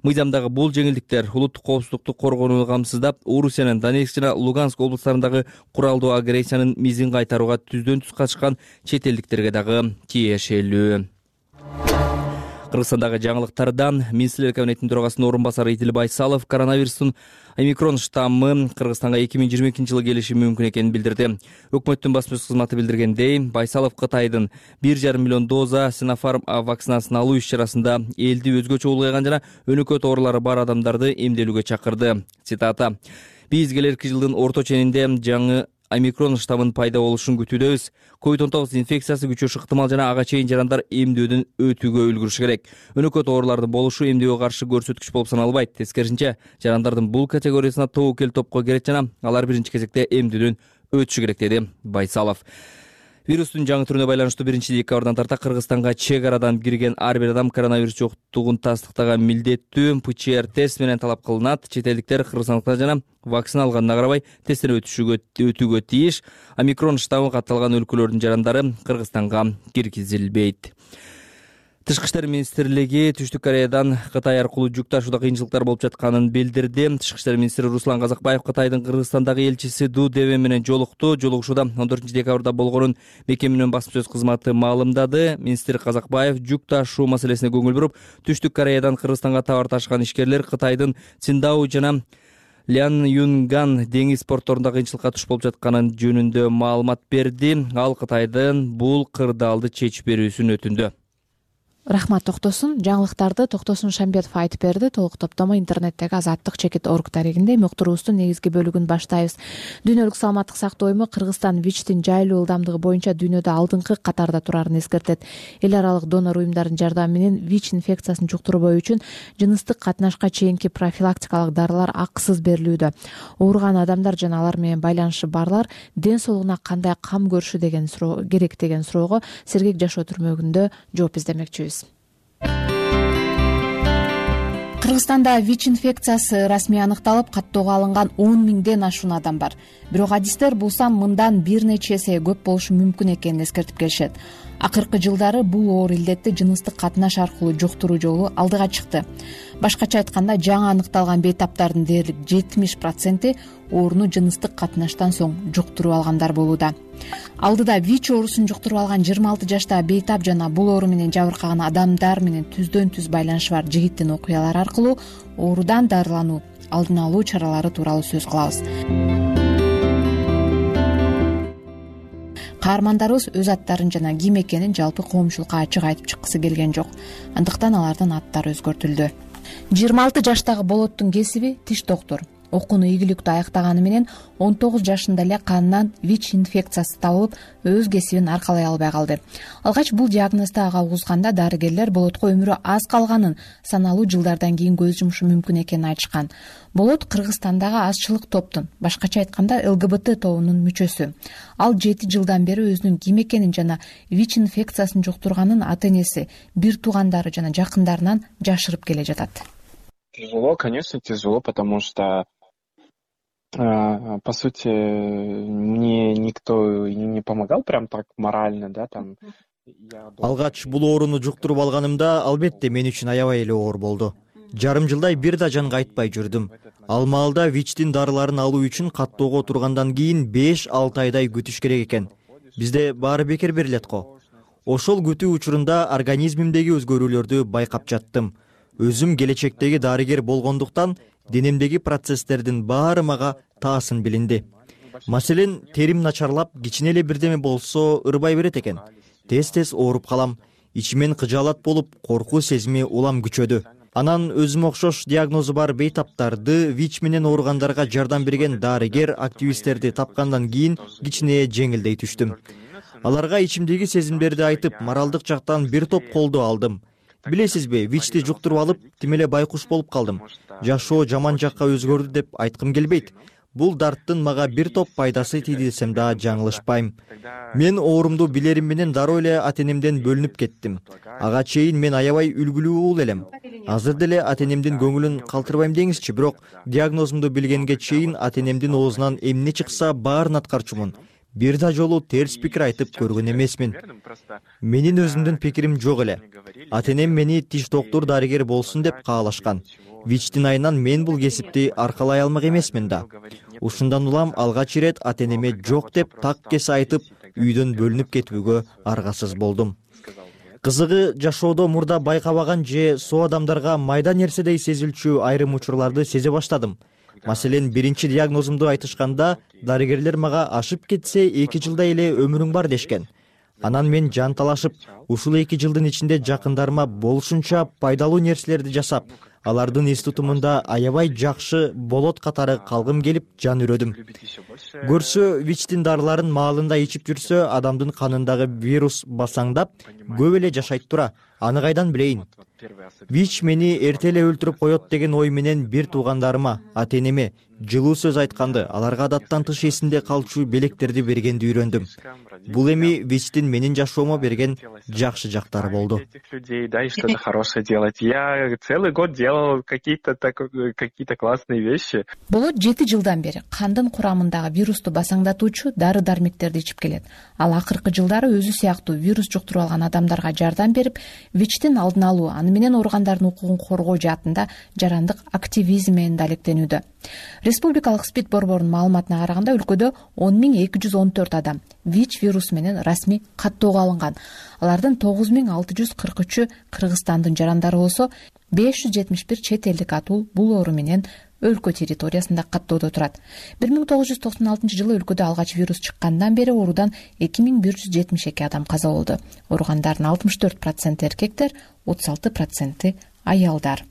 Мыйзамдагы бул жеңилдиктер улуттук коопсуздукту коргонууну камсыздап, Орусиянын Донецк жана Луганск облустарындагы куралдуу агрессиянын мизин кайтарууга түздөн түз катышкан чет элдиктерге дагы тиешелүү. Кыргызстандагы жаңылыктардан Министрлер кабинетинин төрагасынын орун басары Идил Байсалов коронавирустун омикрон штаммы Кыргызстанга эки миң жыйырма экинчи жылы келиши мүмкүн экенин билдирди. Өкмөттүн басма сөз кызматы билдиргендей, Байсалов Кытайдын бир жарым миллион доза Синофарм вакцинасын алуу иш-чарасында элди өзгөчө улгайган жана өнөкөт оорулары бар адамдарды эмделүүгө чакырды. Цитата: «Биз келерки жылдын орто ченинде жаңы омикрон штаммын пайда болушун күтүүдөбүз. ковид он тогуз инфекциясы күчөшү ыктымал жана ага чейин жарандар эмдөөдөн өтүүгө үлгүрүшү керек. Өнөкөт оорулардын болушу эмдөөгө каршы көрсөткүч болуп саналбайт. Тескерисинче, жарандардын бул категориясына тобокел топко кирет жана алар биринчи кезекте эмдөөдөн өтүшү керек, деди Байсалов. Вирустун жаңы түрүнө байланыштуу биринчи декабрдан тарта Кыргызстанга чек арадан кирген ар бир адам коронавирус жоктугун тастыктаган милдеттүү пэ че эр тест менен талап кылынат. Чет элдиктер кыргызстандыктар жана вакцина алганына карабай тесттен өтүшүгө өтүүгө тийиш. Омикрон штаммы катталган өлкөлөрдүн жарандары Кыргызстанга киргизилбейт. Тышкы иштер министрлиги Түштүк Кореядан Кытай аркылуу жүк ташууда кыйынчылыктар болуп жатканын билдирди. Тышкы иштер министри Руслан Казакбаев Кытайдын Кыргызстандагы элчиси Ду Деве менен жолукту. Жолугушууда он төртүнчү декабрда болгонун мекеменин басма сөз кызматы маалымдады. Министр Казакбаев жүк ташуу маселесине көңүл буруп, Түштүк Кореядан Кыргызстанга товар ташыган ишкерлер Кытайдын Циндао жана Лян Юнган деңиз портторунда кыйынчылыкка туш болуп жатканын жөнүндө маалымат берди. Ал Кытайдын бул кырдаалды чечип берүүсүн өтүндү. Рахмат Токтосун. Жаңылыктарды Токтосун Шамбетов айтып берди. Толук топтомо интернеттеги азаттык чекит орг дарегинде. Муктуруубуздун негизги бөлүгүн баштайбыз. Дүйнөлүк саламаттык сактоо уюму Кыргызстан ВИЧтин жайлуу ылдамдыгы боюнча дүйнөдө алдыңкы катарда турарын эскертет. Эл аралык донор уюмдардын жардамы менен ВИЧ инфекциясын жуктурбоо үчүн жыныстык катнашка чейинки профилактикалык дарылар акысыз берилүүдө. Ооруган адамдар жана алар менен байланышы барлар ден соолугуна кандай кам көрүшү деген суроо керек деген суроого сергек жашоо түрмөгүндө жооп издемекчибиз. Кыргызстанда ВИЧ инфекциясы расмий аныкталып, каттоого алынган он миңден ашуун адам бар. Бирок адистер бул сан мындан бир нече эсе көп болушу мүмкүн экенин эскертип келишет. Акыркы жылдары бул оор илдетти жыныстык катнаш аркылуу жуктуруу жолу алдыга чыкты. Башкача айтканда, жаңы аныкталган бейтаптардын дээрлик жетимиш проценти ооруну жыныстык катнаштан соң жуктуруп алгандар болууда. Алдыда ВИЧ оорусун жуктуруп алган жыйырма алты жаштагы бейтап жана бул оору менен жабыркаган адамдар менен түздөн түз байланышы бар жигиттин окуялары аркылуу оорудан дарылануу, алдын алуу чаралары тууралуу сөз кылабыз. Каармандарыбыз өз аттарын жана ким экенин жалпы коомчулукка ачык айтып чыккысы келген жок. Андыктан алардын аттары өзгөртүлдү. жыйырма алты жаштагы Болоттун кесиби тиш доктор. Окууну ийгиликтүү аяктаганы менен он тогуз жашында эле канынан ВИЧ инфекциясы табылып, өз кесибин аркалай албай калды. Алгач бул диагнозду ага угузганда дарыгерлер Болотко өмүрү аз калганын, саналуу жылдардан кийин көз жумушу мүмкүн экенин айтышкан. Болот Кыргызстандагы азчылык топтун, башкача айтканда эл гэ бэ тэ тобунун мүчөсү. Ал жети жылдан бери өзүнүн ким экенин жана ВИЧ инфекциясын жуктурганын ата-энеси, бир туугандары жана жакындарынан жашырып келе жатат. Тяжело, конечно, тяжело, потому что по сути, мне никто не помогал прям так морально, да, там. Алгач бул ооруну жуктуруп алганымда албетте мен үчүн аябай эле оор болду. Жарым жылдай бир да жанга айтпай жүрдүм. Ал маалда ВИЧтин дарыларын алуу үчүн каттоого тургандан кийин беш алты айдай күтүш керек экен. Бизде баары бекер берилет го. Ошол күтүү учурунда организмимдеги өзгөрүүлөрдү байкап жаттым. Өзүм келечектеги дарыгер болгондуктан денемдеги процесстердин баары мага таасын билинди. Маселен, терим начарлап, кичине эле бирдеме болсо ырбай берет экен. Тез-тез ооруп калам. Ичимен кыжаалат болуп, коркуу сезими улам күчөдү. Анан өзүмө окшош диагнозу бар бейтаптарды, ВИЧ менен ооругандарга жардам берген дарыгер, активисттерди тапкандан кийин кичине жеңилдей түштүм. Аларга ичимдеги сезимдерди айтып, моралдык жактан бир топ колдоо алдым. Билесизби, ВИЧти жуктуруп алып, тим эле байкуш болуп калдым. Жашоо жаман жакка өзгөрдү деп айткым келбейт. Бул дарттын мага бир топ пайдасы тийди десем да жаңылышпайм. Мен оорумду билерим менен дароо эле ата-энемден бөлүнүп кеттим. Ага чейин мен аябай үлгүлүү уул элем. Азыр деле ата-энемдин көңүлүн калтырбайм деңизчи, бирок диагнозумду билгенге чейин ата-энемдин оозунан эмне чыкса баарын аткарчумун. Бир да жолу терс пикир айтып көргөн эмесмин. Менин өзүмдүн пикирим жок эле. Ата-энем мени тиш доктор дарыгер болсун деп каалашкан. ВИЧтин айынан мен бул кесипти аркалай алмак эмесмин да. Ушундан улам алгач ирет ата-энеме жок деп так кесе айтып, үйдөн бөлүнүп кетүүгө аргасыз болдум. Кызыгы, жашоодо мурда байкабаган же соо адамдарга майда нерседей сезилчү айрым учурларды сезе баштадым. Маселен, биринчи диагнозумду айтышканда, дарыгерлер мага ашып кетсе эки жылдай эле өмүрүң бар дешкен. Анан мен жан талашып, ушул эки жылдын ичинде жакындарыма болушунча пайдалуу нерселерди жасап, алардын эс тутумунда аябай жакшы болот катары калгым келип жан үрөдүм. Көрсө, ВИЧтин дарыларын маалында ичип жүрсө, адамдын канындагы вирус басаңдап, көп эле жашайт тура. Аны кайдан билейин? ВИЧ мени эрте эле өлтүрүп коет деген ой менен бир туугандарыма, ата-энеме жылуу сөз айтканды, аларга адаттан тыш эсинде калчу белектерди бергенди үйрөндүм. Бул эми ВИЧтин менин жашоомо берген жакшы жактары болду. Да, и что-то хорошее делать. Я целый год делал какие-то какие-то классные вещи. Болот жети жылдан бери кандын курамындагы вирусту басаңдатуучу дары-дармектерди ичип келет. Ал акыркы жылдары өзү сыяктуу вирус жуктуруп алган адамдарга жардам берип, вичтин алдын алуу, аны менен ооругандардын укугун коргоо жаатында жарандык активизм менен да алектенүүдө. Республикалык СПИД борборунун маалыматына караганда өлкөдө он миң эки жүз он төрт адам ВИЧ вирусу менен расмий каттоого алынган. Алардын тогуз миң алты жүз кырк үчү Кыргызстандын жарандары болсо, беш жүз жетимиш бир чет элдик атуу бул оору менен өлкө территориясында каттоодо турат. бир миң тогуз жүз токсон алтынчы жылы өлкөдө алгач вирус чыккандан бери оорудан эки миң бир жүз жетимиш эки адам каза болду. Ооругандардын алтымыш төрт проценти эркектер, отуз алты проценти аялдар.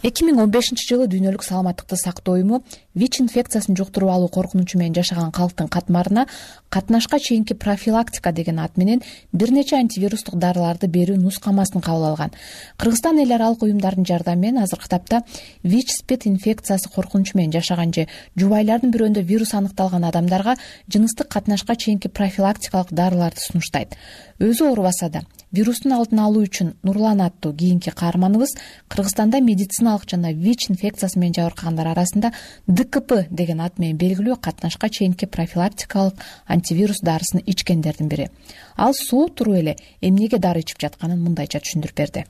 эки миң он бешинчи жылы Дүйнөлүк саламаттыкты сактоо уюму ВИЧ инфекциясын жуктуруп алуу коркунучу менен жашаган калктын катмарына катнашка чейинки профилактика деген ат менен бир нече антивирустук дарыларды берүү нускамасын кабыл алган. Кыргызстан эл аралык уюмдардын жардамы менен азыркы тапта ВИЧ СПИД инфекциясы коркунучу менен жашаган же жубайлардын бирөөндө вирус аныкталган адамдарга жыныстык катнашка чейинки профилактикалык дарыларды сунуштайт. Өзү оорубаса да вирустун алдын алуу үчүн Нурлан аттуу кийинки каарманыбыз Кыргызстанда медициналык жана ВИЧ инфекциясы менен жабыркагандар арасында Д К П деген ат менен белгилүү катнашка чейинки профилактикалык антивирус дарысын ичкендердин бири. Ал суу туруп эле эмнеге дары ичип жатканын мындайча түшүндүрүп берди.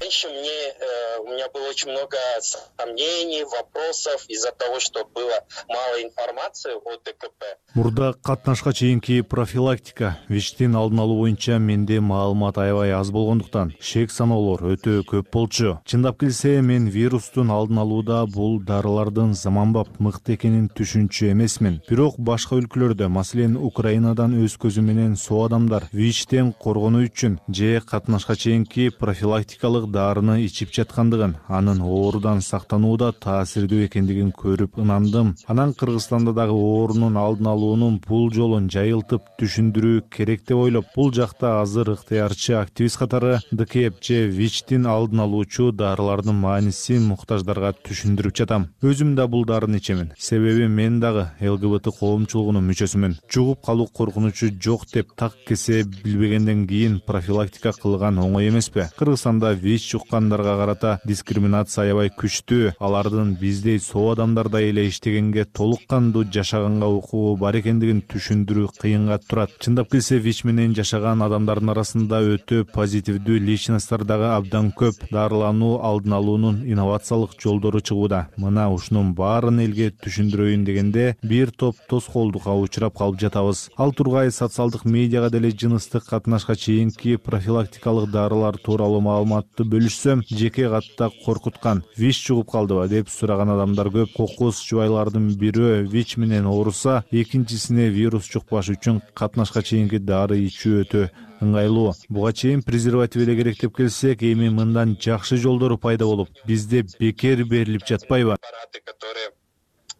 Раньше мне, э, у меня было очень много сомнений, вопросов из-за того, что было мало информации о Д К П. Мурда катнашка чейинки профилактика, ВИЧтин алдын алуу боюнча менде маалымат аябай аз болгондуктан шек саноолор өтө көп болчу. Чындап келсе, мен вирустун алдын алууда бул дарылардын заманбап мыкты экенин түшүнчү эмесмин. Бирок башка өлкөлөрдө, маселен Украинадан өз көзү менен соо адамдар ВИЧтен коргонуу үчүн же катнашка чейинки профилактикалык дарыны ичип жаткандыгын, анын оорудан сактанууда таасирдүү экендигин көрүп ынандым. Анан Кыргызстанда дагы оорунун алдын алуунун бул жолун жайылтып түшүндүрүү керек деп ойлоп, бул жакта азыр ыктыярчы активист катары Д К П же ВИЧтин алдын алуучу дарылардын маанисин муктаждарга түшүндүрүп жатам. Өзүм да бул дарыны ичемин. Себеби мен дагы Л Г Б Т коомчулугунун мүчөсүмүн. Жугуп калуу коркунучу жок деп так кесе билбегенден кийин профилактика кылган оңой эмеспи? Кыргызстанда ВИЧ жуккандарга карата дискриминация аябай күчтүү. Алардын биздей соо адамдардай эле иштегенге, толук кандуу жашаганга укугу бар экендигин түшүндүрүү кыйынга турат. Чындап келсе, ВИЧ менен жашаган адамдардын арасында өтө позитивдүү личносттор дагы абдан көп. Дарылануу алдын алуунун инновациялык жолдору чыгууда. Мына ушунун баарын элге түшүндүрөйүн дегенде бир топ тоскоолдукка учурап калып жатабыз. Ал тургай социалдык медиага деле жыныстык катнашка чейинки профилактикалык дарылар тууралуу маалыматты бөлүшсөм, жеке катта коркуткан. ВИЧ жугуп калдыбы деп сураган адамдар көп. Кокус жубайлардын бирөө ВИЧ менен ооруса, экинчисине вирус жукпаш үчүн катнашка чейинки дары ичүү өтө ыңгайлуу. Буга чейин презерватив эле керек деп келсек, эми мындан жакшы жолдору пайда болуп, бизде бекер берилип жатпайбы?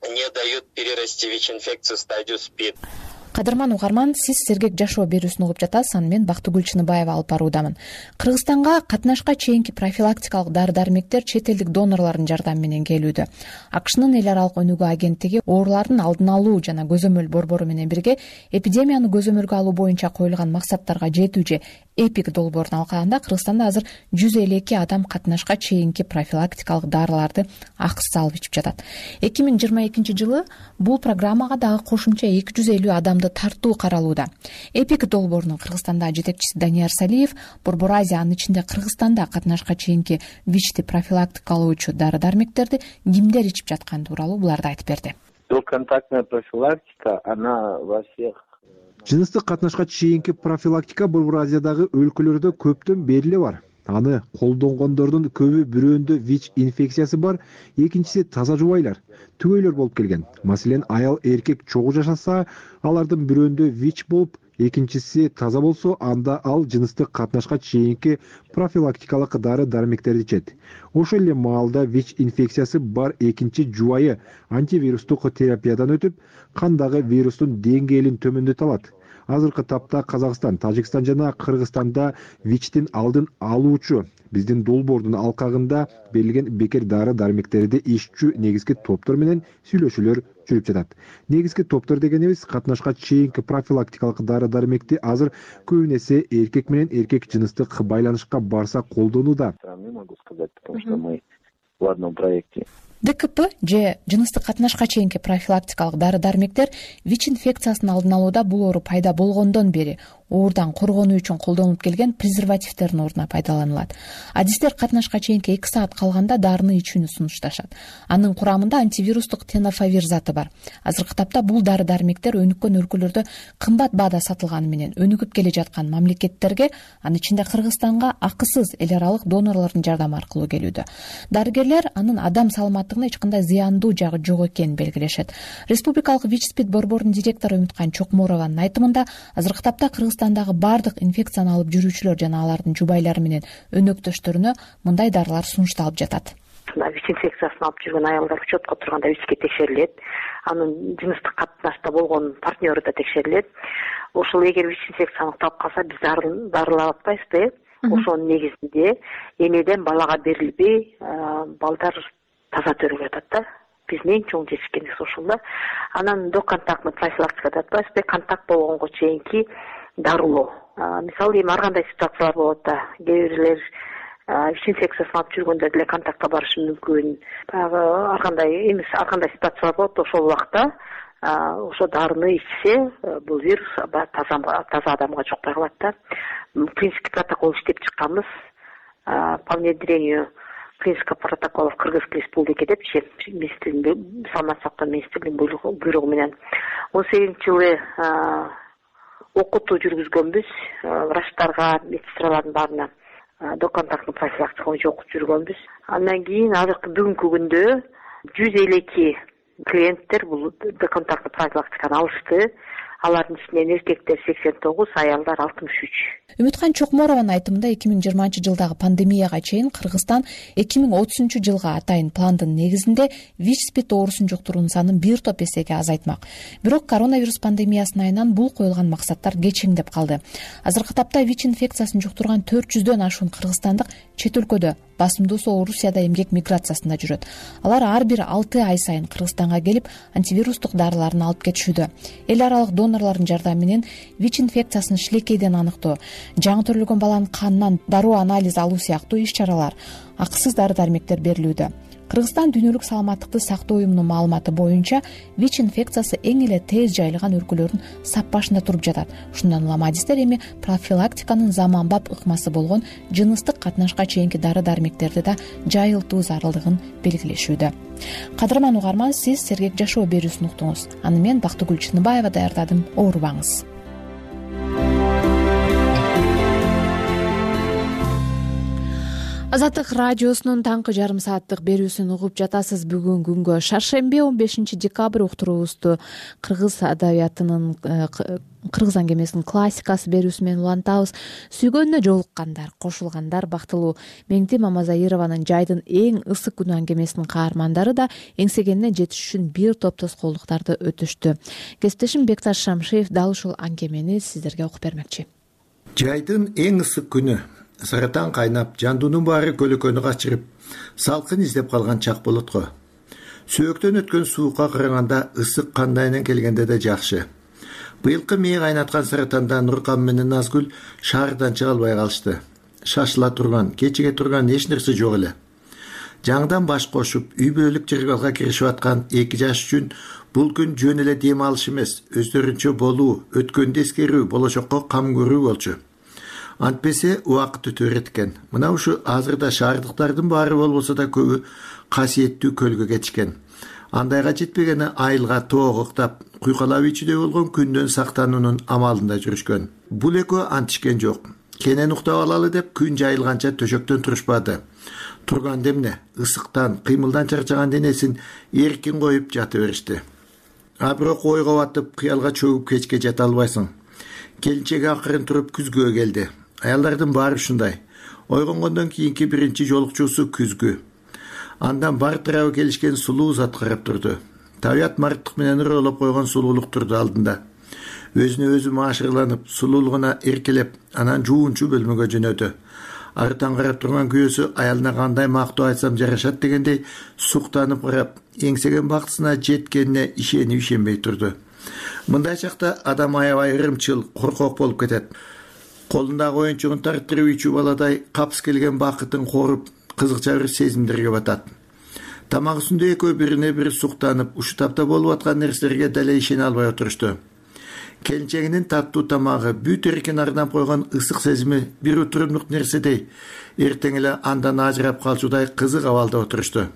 Не дают перерасти ВИЧ-инфекцию в стадию СПИД. Кадырман угарман, сиз Сергек жашоо берүүсүн угуп жатасыз, аны мен Бактыгүл Чыныбаева алып баруудамын. Кыргызстанга катнашка чейинки профилактикалык дары-дармектер чет элдик донорлордун жардамы менен келүүдө. АКШнын эл аралык өнүгүү агенттиги оорулардын алдын алуу жана көзөмөл борбору менен бирге эпидемияны көзөмөлгө алуу боюнча коюлган максаттарга жетүү же эпик долбоорун алкаганда Кыргызстанда азыр жүз элүү эки адам катнашка чейинки профилактикалык дарыларды акысыз алып ичип жатат. эки миң жыйырма экинчи жылы бул программага дагы кошумча эки жүз элүү адамды тартуу каралууда. Эпик долбоорунун Кыргызстандагы жетекчиси Данияр Салиев борбор Азия, анын ичинде Кыргызстанда катнашка чейинки ВИЧти профилактикалоочу дары-дармектерди кимдер ичип жатканы тууралуу буларды айтып берди. Двухконтактная профилактика, она во всех. Жыныстык катнашка чейинки профилактика борбор Азиядагы өлкөлөрдө көптөн бери эле бар. Аны колдонгондордун көбү бирөөндө ВИЧ инфекциясы бар, экинчиси таза жубайлар, түгөйлөр болуп келген. Маселен, аял эркек чогуу жашаса, алардын бирөөндө ВИЧ болуп, экинчиси таза болсо, анда ал жыныстык катнашка чейинки профилактикалык дары-дармектерди ичет. Ошол эле маалда ВИЧ инфекциясы бар экинчи жубайы антивирустук терапиядан өтүп, кандагы вирустун деңгээлин төмөндөтө алат. Азыркы тапта Казакстан, Тажикстан жана Кыргызстанда ВИЧтин алдын алуучу биздин долбоордун алкагында берилген бекер дары-дармектерди иччүү негизги топтор менен сүйлөшүүлөр жүрүп жатат. Негизги топтор дегенибиз катнашка чейинки профилактикалык дары-дармекти азыр көбүн эсе эркек менен эркек жыныстык байланышка барса колдонууда. Не могу сказать, потому что мы в одном проекте. Д К П же жыныстык катнашка чейинки профилактикалык дары-дармектер ВИЧ инфекциясын алдын алууда бул оору пайда болгондон бери ооруудан коргонуу үчүн колдонулуп келген презервативдердин ордуна пайдаланылат. Адистер катнашка чейинки эки саат калганда дарыны ичүүнү сунушташат. Анын курамында антивирустук тенофавир заты бар. Азыркы тапта бул дары дармектер өнүккөн өлкөлөрдө кымбат баада сатылганы менен өнүгүп келе жаткан мамлекеттерге, анын ичинде Кыргызстанга акысыз эл аралык донорлордун жардамы аркылуу келүүдө. Дарыгерлер анын адам саламаттыгына эч кандай зыяндуу жагы жок экенин белгилешет. Республикалык ВИЧ-СПИД борборунун директору Үмүткан Чокморованын айтымында, азыркы тапта Кыргызстандагы бардык инфекцияны алып жүрүүчүлөр жана алардын жубайлары менен өнөктөштөрүнө мындай дарылар сунушталып жатат. ВИЧ инфекциясын алып жүргөн аялдар учетко турганда ВИЧке текшерилет. Анын жыныстык катнашта болгон партнеру да текшерилет. Ошол эгер ВИЧ инфекция аныкталып калса, биз дарылап атпайбызбы? Ошонун негизинде энеден балага берилбей, балдар таза төрөгө жатат да. Биздин эң чоң жетишкенибиз ошол да. Анан доконтактный профилактика деп атпайбызбы? Контакт болгонго чейинки дарылоо. Мисалы эми ар кандай ситуациялар болот да. Кээ бирлер ВИЧ инфекциясын алып жүргөндө деле контактка барышы мүмкүн. Баягы ар кандай эмес, ар кандай ситуациялар болот. Ошол убакта ошо дарыны ичсе, бул вирус таза таза адамга жукпай калат да. Принципке протокол иштеп чыкканбыз. По внедрению принципа протоколов Кыргызской Республики депчи, министрлигинин саламаттык сактоо министрлигинин буйругу менен он сегизинчи жылы окутуу жүргүзгөнбүз. Врачтарга, медсестралардын баарына доконтактный профилактика боюнча окуп жүргөнбүз. Андан кийин азыркы бүгүнкү күндө жүз элүү эки клиенттер бул доконтактный профилактиканы алышты. Алардын ичинен эркектер сексен тогуз, аялдар алтымыш үч. Үмүткан Чокморованын айтымында эки миң жыйырманчы жылдагы пандемияга чейин Кыргызстан эки миң отузунчу жылга атайын пландын негизинде ВИЧ-СПИД оорусун жуктуруунун санын бир топ эсеге азайтмак. Бирок коронавирус пандемиясынын айынан бул коюлган максаттар кечиңдеп калды. Азыркы тапта ВИЧ инфекциясын жуктурган төрт жүздөн ашуун кыргызстандык чет өлкөдө, басымдуусу Орусияда эмгек миграциясында жүрөт. Алар ар бир алты ай сайын Кыргызстанга келип, антивирустук дарыларын алып кетишүүдө. Эл аралык донорлордун жардамы менен ВИЧ инфекциясын шилекейден аныктоо, жаңы төрөлгөн баланын канынан дароо анализ алуу сыяктуу иш-чаралар, акысыз дары дармектер берилүүдө. Кыргызстан Дүйнөлүк саламаттыкты сактоо уюмунун маалыматы боюнча ВИЧ инфекциясы эң эле тез жайылган өлкөлөрдүн сап башында туруп жатат. Ушундан улам адистер эми профилактиканын заманбап ыкмасы болгон жыныстык катнашка чейинки дары дармектерди да жайылтуу зарылдыгын белгилешүүдө. Кадырман угарман, сиз Сергек жашоо берүүсүн уктуңуз. Аны мен Бактыгүл Чыныбаева даярдадым. Оорубаңыз. Азаттык радиосунун таңкы жарым сааттык берүүсүн угуп жатасыз. Бүгүн күнгө шаршемби он бешинчи декабрь уктуруубузду кыргыз адабиятынын кыргыз аңгемесинин классикасы берүүсү менен улантабыз. Сүйгөнүнө жолуккандар, кошулгандар бактылуу. Меңти Мамазаированын Жайдын эң ысык күнү аңгемесинин каармандары да эңсегенине жетиш үчүн бир топ тоскоолдуктарды өтүштү. Кесиптешим Бекташ Шамшиев дал ушул аңгемени сиздерге окуп бермекчи. Жайдын эң ысык күнү. Саратан кайнап, жандуунун баары көлөкөнү качырып, салкын издеп калган чак болот го. Сөөктөн өткөн суукка караганда ысык кандайынан келгенде да жакшы. Быйылкы мээ кайнаткан Саратанда Нуркан менен Назгүл шаардан чыга албай калышты. Шашыла турган, кечиге турган эч нерсе жок эле. Жаңдан баш кошуп, үй бүлөлүк жыргалга киришип аткан эки жаш үчүн бул күн жөн эле дем алыш эмес, өздөрүнчө болуу, өткөндү эскерүү, болочокко кам көрүү болчу. Антпесе убакыт өтө берет экен. Мына ушу азырда шаардыктардын баары болбосо да көбү касиеттүү көлгө кетишкен. Андайга жетпегени айылга тоого уктап, куйкалап ичүүдө болгон күндөн сактануунун амалында жүрүшкөн. Бул экөө антишкен жок. Кенен уктап алалы деп күн жайылганча төшөктөн турушпады. Турган демне ысыктан, кыймылдан чарчаган денесин эркин коюп жата беришти. А бирок ойго батып, кыялга чөгүп кечке жата албайсың. Келинчеги акырын туруп күзгүгө келди. Аялдардын баары ушундай. Ойгонгондон кийинки биринчи жолукчусу күзгү. Андан бар тарабы келишкен сулуу зат карап турду. Табият марттык менен ыролоп койгон сулуулук турду алдында. Өзүнө өзү маашырланып, сулуулугуна эркелеп, анан жуунчу бөлмөгө жөнөдү. Арытан карап турган күйөөсү аялына кандай мактоо айтсам жарашат дегендей суктанып карап, эңсеген бактысына жеткенине ишенип ишенбей турду. Мындай чакта адам аябай ырымчыл, коркок болуп кетет. Колундагы оюнчугун тарттырып ичүү баладай капс келген бакытын коруп, кызыкча бир сезимдерге батат. Тамак үстүндө экөө бирине бири суктанып, ушу тапта болуп аткан нерселерге деле ишене албай отурушту. келинчегинин таттуу тамагы, бүт эркин арнап койгон ысык сезими бир утурумдук нерседей эртең эле андан ажырап калчудай кызык абалда отурушту.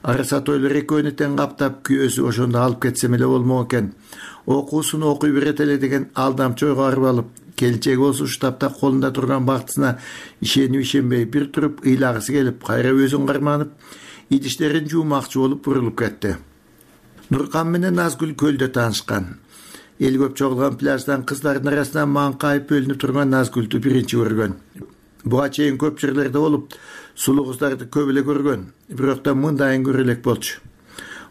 Араса тойлор экөөнү тең каптап, күйөөсү ошондо алып кетсем эле болмок экен, окуусун окуй берет эле деген алдамчы ойго барып алып, келинчеги болсо ушу тапта колунда турган бактысына ишенип ишенбей бир туруп ыйлагысы келип, кайра өзүн карманып, идиштерин жуумакчы болуп бурулуп кетти. Нуркан менен Назгүл көлдө таанышкан. Эл көп чогулган пляждан кыздардын арасынан маңкайып бөлүнүп турган Назгүлдү биринчи көргөн. Буга чейин көп жерлерде болуп, сулуу кыздарды көп эле көргөн, бирок да мындайын көрө элек болчу.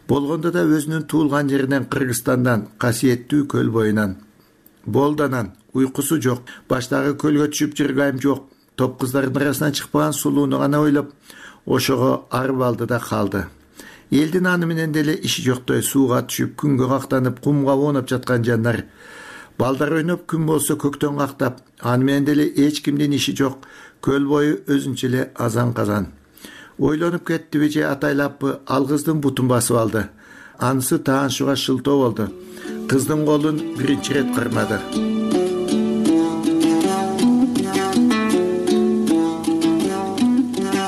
Болгондо да өзүнүн туулган жеринен, Кыргызстандан, касиеттүү көл боюнан. Болданан, уйкусу жок, баштагы көлгө түшүп жыргайым жок, топ кыздардын арасынан чыкпаган сулууну гана ойлоп, ошого арып алды да калды. Элдин аны менен деле иши жоктой сууга түшүп, күнгө кактанып, кумга оонап жаткан жандар. Балдар ойноп, күн болсо көктөн кактап, аны менен деле эч кимдин иши жок, көл бою өзүнчө эле азан-казан. Ойлонуп кеттиби же атайлаппы, ал кыздын бутун басып алды. Анысы таанышууга шылтоо болду. Кыздын колун биринчи ирет кармады.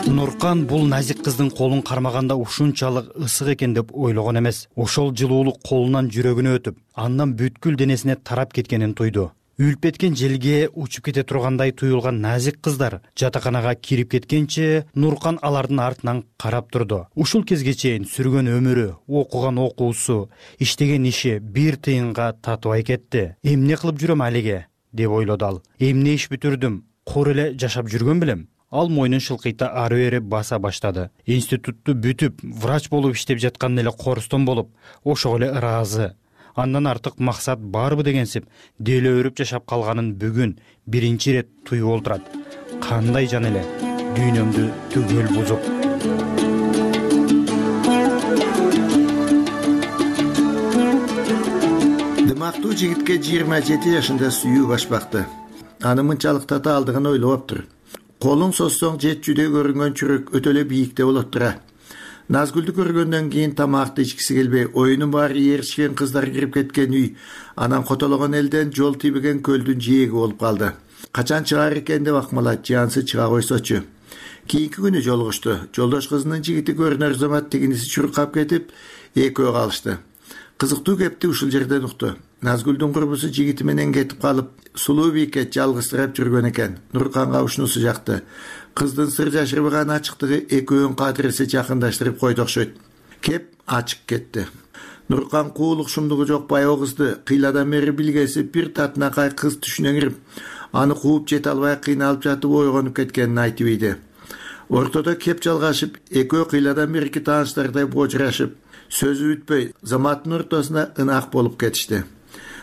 Нуркан бул назик кыздын колун кармаганда ушунчалык ысык экен деп ойлогон эмес. Ошол жылуулук колунан жүрөгүнө өтүп, андан бүткүл денесине тарап кеткенин туйду. Үлүп кеткен желге учуп кете тургандай туюлган назик кыздар жатаканага кирип кеткенче Нуркан алардын артынан карап турду. Ушул кезге чейин сүргөн өмүрү, окуган окуусу, иштеген иши бир тыйынга татыбай кетти. Эмне кылып жүрөм алиге деп ойлоду ал. Эмне иш бүтүрдүм, кур эле жашап жүргөн белем. Ал мойнун шылкыйта ары бери баса баштады. Институтту бүтүп, врач болуп иштеп жаткан эле корустон болуп, ошого эле ыраазы. Андан артык максат барбы дегенсип, деле өрүп жашап калганын бүгүн биринчи ирет туюп олтурат. Кандай жан эле дүйнөмдү түгөл бузуп. Дымактуу жигитке жыйырма жети жашында сүйүү башпакты. Аны мынчалык татаалдыгын ойлоптур. Колуң соссоң жетчүдөй көрүнгөн чүрөк өтө эле бийикте болот тура. Назгүлдү көргөндөн кийин тамакты ичкиси келбей, оюнун баары ээрчишкен кыздар кирип кеткен үй, анан котологон элден жол тийбеген көлдүн жээги болуп калды. Качан чыгаар экен деп акмалат, жансы чыга койсочу. Кийинки күнү жолугушту. Жолдош кызынын жигити көрүнөр замат тигиниси чуркап кетип, экөө калышты. Кызыктуу кепти ушул жерден укту. Назгүлдүн курбусу жигити менен кетип калып, сулуу бийикке жалгызсырап жүргөн экен. Нурканга ушунусу жакты. Кыздын сыр жашырбаган ачыктыгы экөөнүн кадыресе жакындаштырып койду окшойт. Кеп ачык кетти. Нуркан куулук шумдугу жок баягы кызды кыйладан бери билгеси бир татынакай кыз түшүнө кирип, аны кууп жете албай кыйналып жатып ойгонуп кеткенин айтып ийди. Ортодо кеп жалгашып, экөө кыйладан берки тааныштардай божурашып, сөзү бүтпөй, заматтын ортосуна ынак болуп кетишти.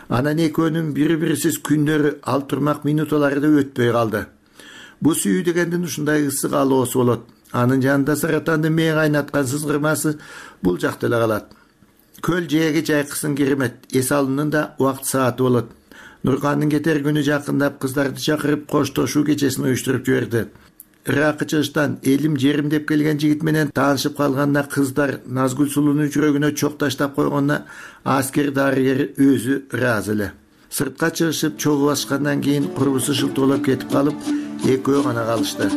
Анан экөөнүн бири-бирисиз күндөрү, ал турмак минуталары да өтпөй калды. Бу сүйүү дегендин ушундай ысык алоосу болот. Анын жанында саратанды мээ кайнаткан сызгырмасы бул жакта эле калат. Көл жээги жайкысын керемет, эс алуунун да убакыт сааты болот. Нуркандын кетер күнү жакындап, кыздарды чакырып коштошуу кечесин уюштуруп жиберди. Ыракы чыгыштан элим жерим деп келген жигит менен таанышып калганда кыздар Назгүл сулуунун жүрөгүнө чок таштап койгонуна аскер дарыгери өзү ыраазы эле. Сыртка чыгышып чогуу баскандан кийин курбусу шылтоолоп кетип калып, экөө гана калышты.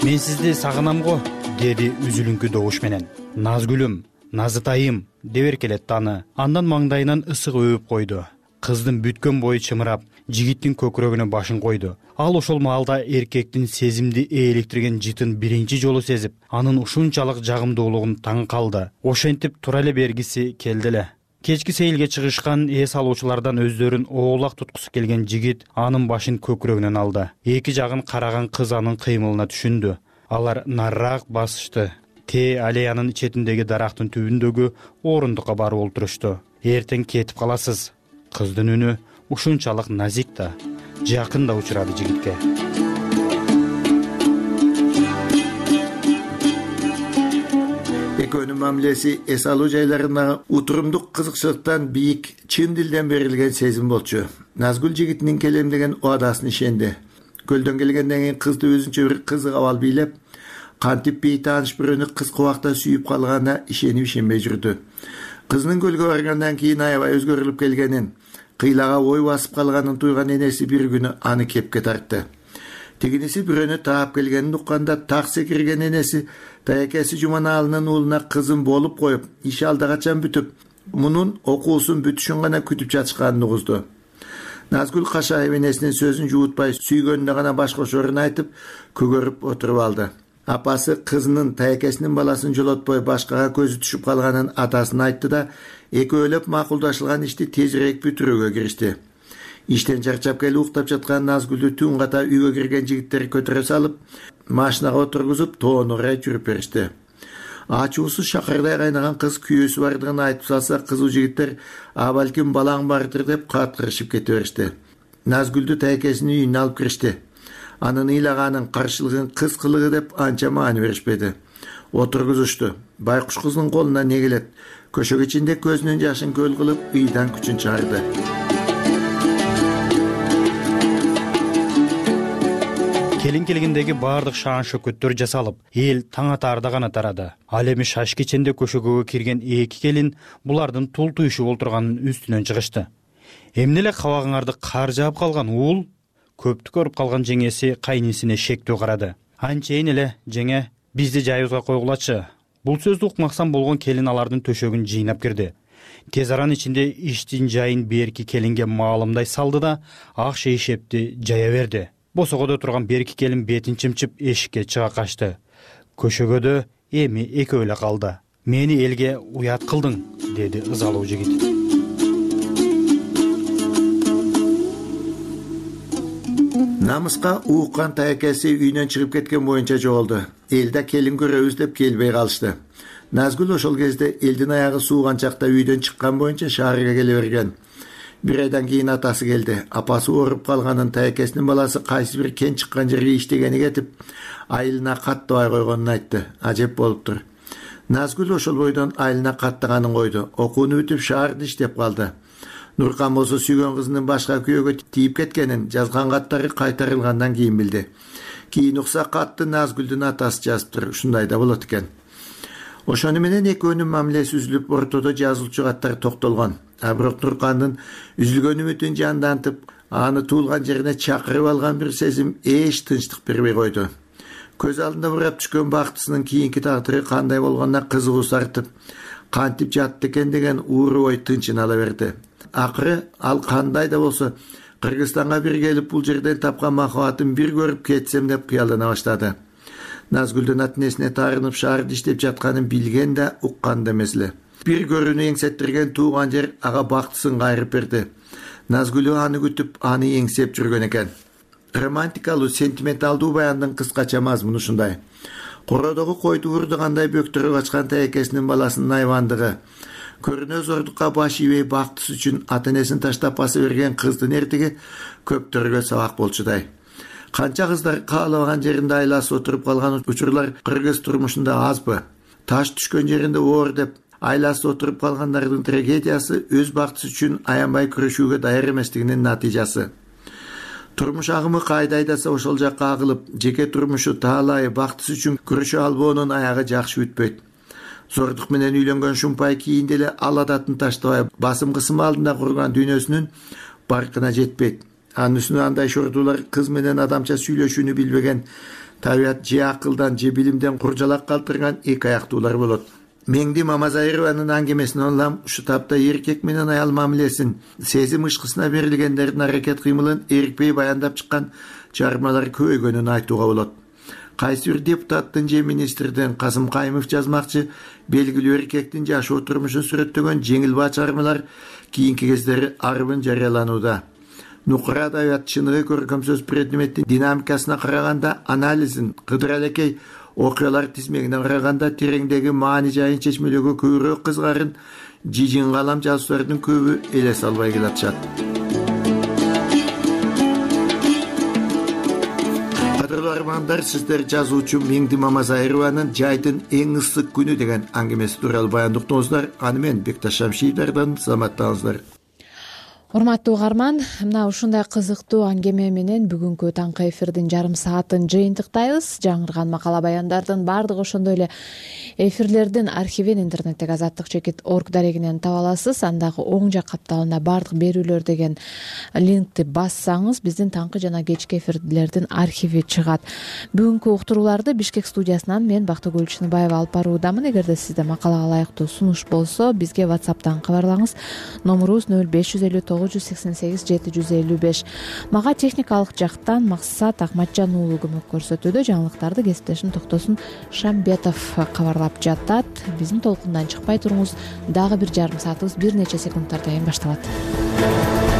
Мен сизди сагынам го, деди үзүлүңкү добуш менен. Назгүлүм, Назытайым деп эркелетти аны. Андан маңдайынан ысык өбүп койду. Кыздын бүткөн бою чымырап, жигиттин көкүрөгүнө башын койду. Ал ошол маалда эркектин сезимди ээликтирген жытын биринчи жолу сезип, анын ушунчалык жагымдуулугун таң калды. Ошентип тура эле бергиси келди эле. Кечки сейилге чыгышкан эс алуучулардан өздөрүн оолак туткусу келген жигит анын башын көкүрөгүнөн алды. Эки жагын караган кыз анын кыймылына түшүндү. Алар нарыраак басышты. Те аллеянын четиндеги дарактын түбүндөгү орундукка барып олтурушту. Эртең кетип каласыз. Кыздын үнү ушунчалык назик да, жакын да учурады жигитке. Экөөнүн мамилеси эс алуу жайларына утурумдук кызыкчылыктан бийик, чын дилден берилген сезим болчу. Назгүл жигитинин келем деген убадасын ишенди. Көлдөн келгенден кийин кызды өзүнчө бир кызык абал бийлеп, кантип бейтааныш бирөөнү кыска убакта сүйүп калганына ишенип ишенбей жүрдү. Кызынын көлгө баргандан кийин аябай өзгөрүлүп келгенин, кыйлага ой басып калганын туйган энеси бир күнү аны кепке тартты. Тигиниси бирөөнү таап келгенин укканда так секирген энеси таякеси Жуманалынын уулуна кызын болуп коюп, иш алда качан бүтүп, мунун окуусун бүтүшүн гана күтүп жатышканын угузду. Назгүл Кашаева энесинин сөзүн жуутпай, сүйгөнүнө гана баш кошорун айтып, көгөрүп отуруп алды. Апасы кызынын таякесинин баласын жолотпой башкага көзү түшүп калганын атасына айтты да, экөөлөп макулдашылган ишти тезирээк бүтүрүүгө киришти. Иштен чарчап келип уктап жаткан Назгүлдү түн ката үйгө кирген жигиттер көтөрө салып, машинага отургузуп, тоон орай жүрүп беришти. Ачуусу шакырдай кайнаган кыз күйөөсү бардыгын айтып салса, кызуу жигиттер а балким балаң бардыр деп каткырышып кете беришти. Назгүлдү таякесинин үйүнө алып киришти. Анын ыйлаганын, каршылыгын кыз кылыгы деп анча маани беришпеди. Отургузушту. Байкуш кыздын колуна не келет? Көшөк ичинде көзүнүн жашын көл кылып, ыйдан күчүн чыгарды. Келин келгендеги баардык шаан шөкөттөр жасалып, эл таң атаарда гана тарады. Ал эми шаш кеченде көшөгөгө кирген эки келин булардын тул туйшуп олтурганын үстүнөн чыгышты. Эмне эле кабагыңарды кар жаап калган уул? Көптү көрүп калган жеңеси кайнисине шектүү карады. Анчейин эле, жеңе, бизди жайыбызга койгулачы. Бул сөздү укмаксан болгон келин алардын төшөгүн жыйнап кирди. Тез аран ичинде иштин жайын берки келинге маалымдай салды да, ак шейшепти жая берди. Босогодо турган берки келин бетин чымчып эшикке чыга качты. Көшөгөдө эми экөө эле калды. Мени элге уят кылдың, деди ызалуу жигит. Намыска ууккан таякеси үйүнөн чыгып кеткен боюнча жоголду. Элде келин көрөбүз деп келбей калышты. Назгүл ошол кезде элдин аягы сууган чакта үйдөн чыккан боюнча шаарга келе берген. Бир айдан кийин атасы келди. Апасы ооруп калганын, таякесинин баласы кайсы бир кен чыккан жерге иштегени кетип, айылына каттабай койгонун айтты. Ажеп болуптур. Назгүл ошол бойдон айылына каттаганын койду. Окууну бүтүп шаарда иштеп калды. Нуркан болсо сүйгөн кызынын башка күйөөгө тийип кеткенин, жазган каттары кайтарылгандан кийин билди. Кийин укса катты Назгүлдүн атасы жазыптыр. Ушундай да болот экен. Ошону менен экөөнүн мамилеси үзүлүп, ортодо жазылчу каттар токтолгон. А бирок Нуркандын үзүлгөн үмүтүн жандантып, аны туулган жерине чакырып алган бир сезим эч тынчтык бербей койду. Көз алдында бурап түшкөн бактысынын кийинки тагдыры кандай болгонуна кызыгуу сартып, кантип жатты экен деген ууру ой тынчын ала берди. Акыры ал кандай да болсо Кыргызстанга бир келип бул жерден тапкан махабатын бир көрүп кетсем деп кыялдана баштады. Назгүлдүн ата-энесине таарынып шаарда иштеп жатканын билген да, уккан да эмес эле. Бир көрүүнү эңсеттирген тууган жер ага бактысын кайрып берди. Назгүл аны күтүп, аны эңсеп жүргөн экен. Романтикалуу, сентименталдуу баяндын кыскача мазмуну ушундай. Кородогу койду урдугандай бөктөрүп ачкан таякесинин баласынын айвандыгы, көрүнө зордукка баш ийбей бактысы үчүн ата-энесин таштап баса берген кыздын эртиги көптөргө сабак болчудай. Канча кыздар каалабаган жеринде айласып отуруп калган учурлар кыргыз турмушунда азбы? Таш түшкөн жеринде оор деп айласып отуруп калгандардын трагедиясы өз бактысы үчүн аянбай күрөшүүгө даяр эместигинин натыйжасы. Турмуш агымы кайда айдаса ошол жакка агылып, жеке турмушу таалайы бактысы үчүн күрөшө албоонун аягы жакшы бүтпөйт. Зордук менен үйлөнгөн Шумпай кийинде эле ал адатын таштабай басым кысым алдында курган дүйнөсүнүн баркына жетпейт. Анын үстүнө андай шордуулар кыз менен адамча сүйлөшүүнү билбеген, табият же акылдан же билимден куржалак калтырган эки аяктуулар болот. Меңди Мамазайрованын аңгемесин улам ушу тапта эркек менен аял мамилесин, сезим ышкысына берилгендердин аракет кыймылын эркпей баяндап чыккан чыгармалар көбөйгөнүн айтууга болот. Кайсы бир депутаттын же министрдин Касым Кайымов жазмакчы белгилүү эркектин жашоо турмушун сүрөттөгөн жеңил баа чыгармалар кийинки кездери арбын жарыяланууда. Нукура адабият чыныгы көркөм сөз предметтин динамикасына караганда, анализин, Кыдыр алекей окуялар тизмегине караганда тереңдеги маани жайын чечмелөөгө көбүрөөк кызгарын жижин калам жазуучулардын көбү элес албай келатышат. Кадырлуу армандар, сиздер жазуучу Меңди Мамазайрованын «Жайдын эң ысык күнү» деген аңгемеси тууралуу баяндыктыңыздар. Аны мен Бекташ Шамшиевдерден саламаттаңыздар. урматтуу угарман, мына ушундай кызыктуу аңгеме менен бүгүнкү таңкы эфирдин жарым саатын жыйынтыктайбыз. Жаңырган макала баяндардын баардыгы ошондой эле эфирлердин архивин интернеттеги азаттык чекит орг дарегинен таба аласыз. Андагы оң жак капталына баардык берүүлөр деген линкти бассаңыз биздин таңкы жана кечки эфирлердин архиви чыгат. Бүгүнкү уктурууларды Бишкек студиясынан мен Бактыгүл Чыныбаева алып баруудамын. Эгерде сизде макалага ылайыктуу сунуш болсо, бизге WhatsApp'тан кабарлаңыз. Номурубуз нөл беш жүз элүү тогуз жүз сексен сегиз жети жүз элүү беш. Мага техникалык жактан Максат Акматжан уулу көмөк көрсөтүүдө. Жаңылыктарды кесиптешим Токтосун Шамбетов кабарлап жатат. Биздин толкундан чыкпай туруңуз. Дагы бир жарым саатыбыз бир нече секундтардан кийин башталат.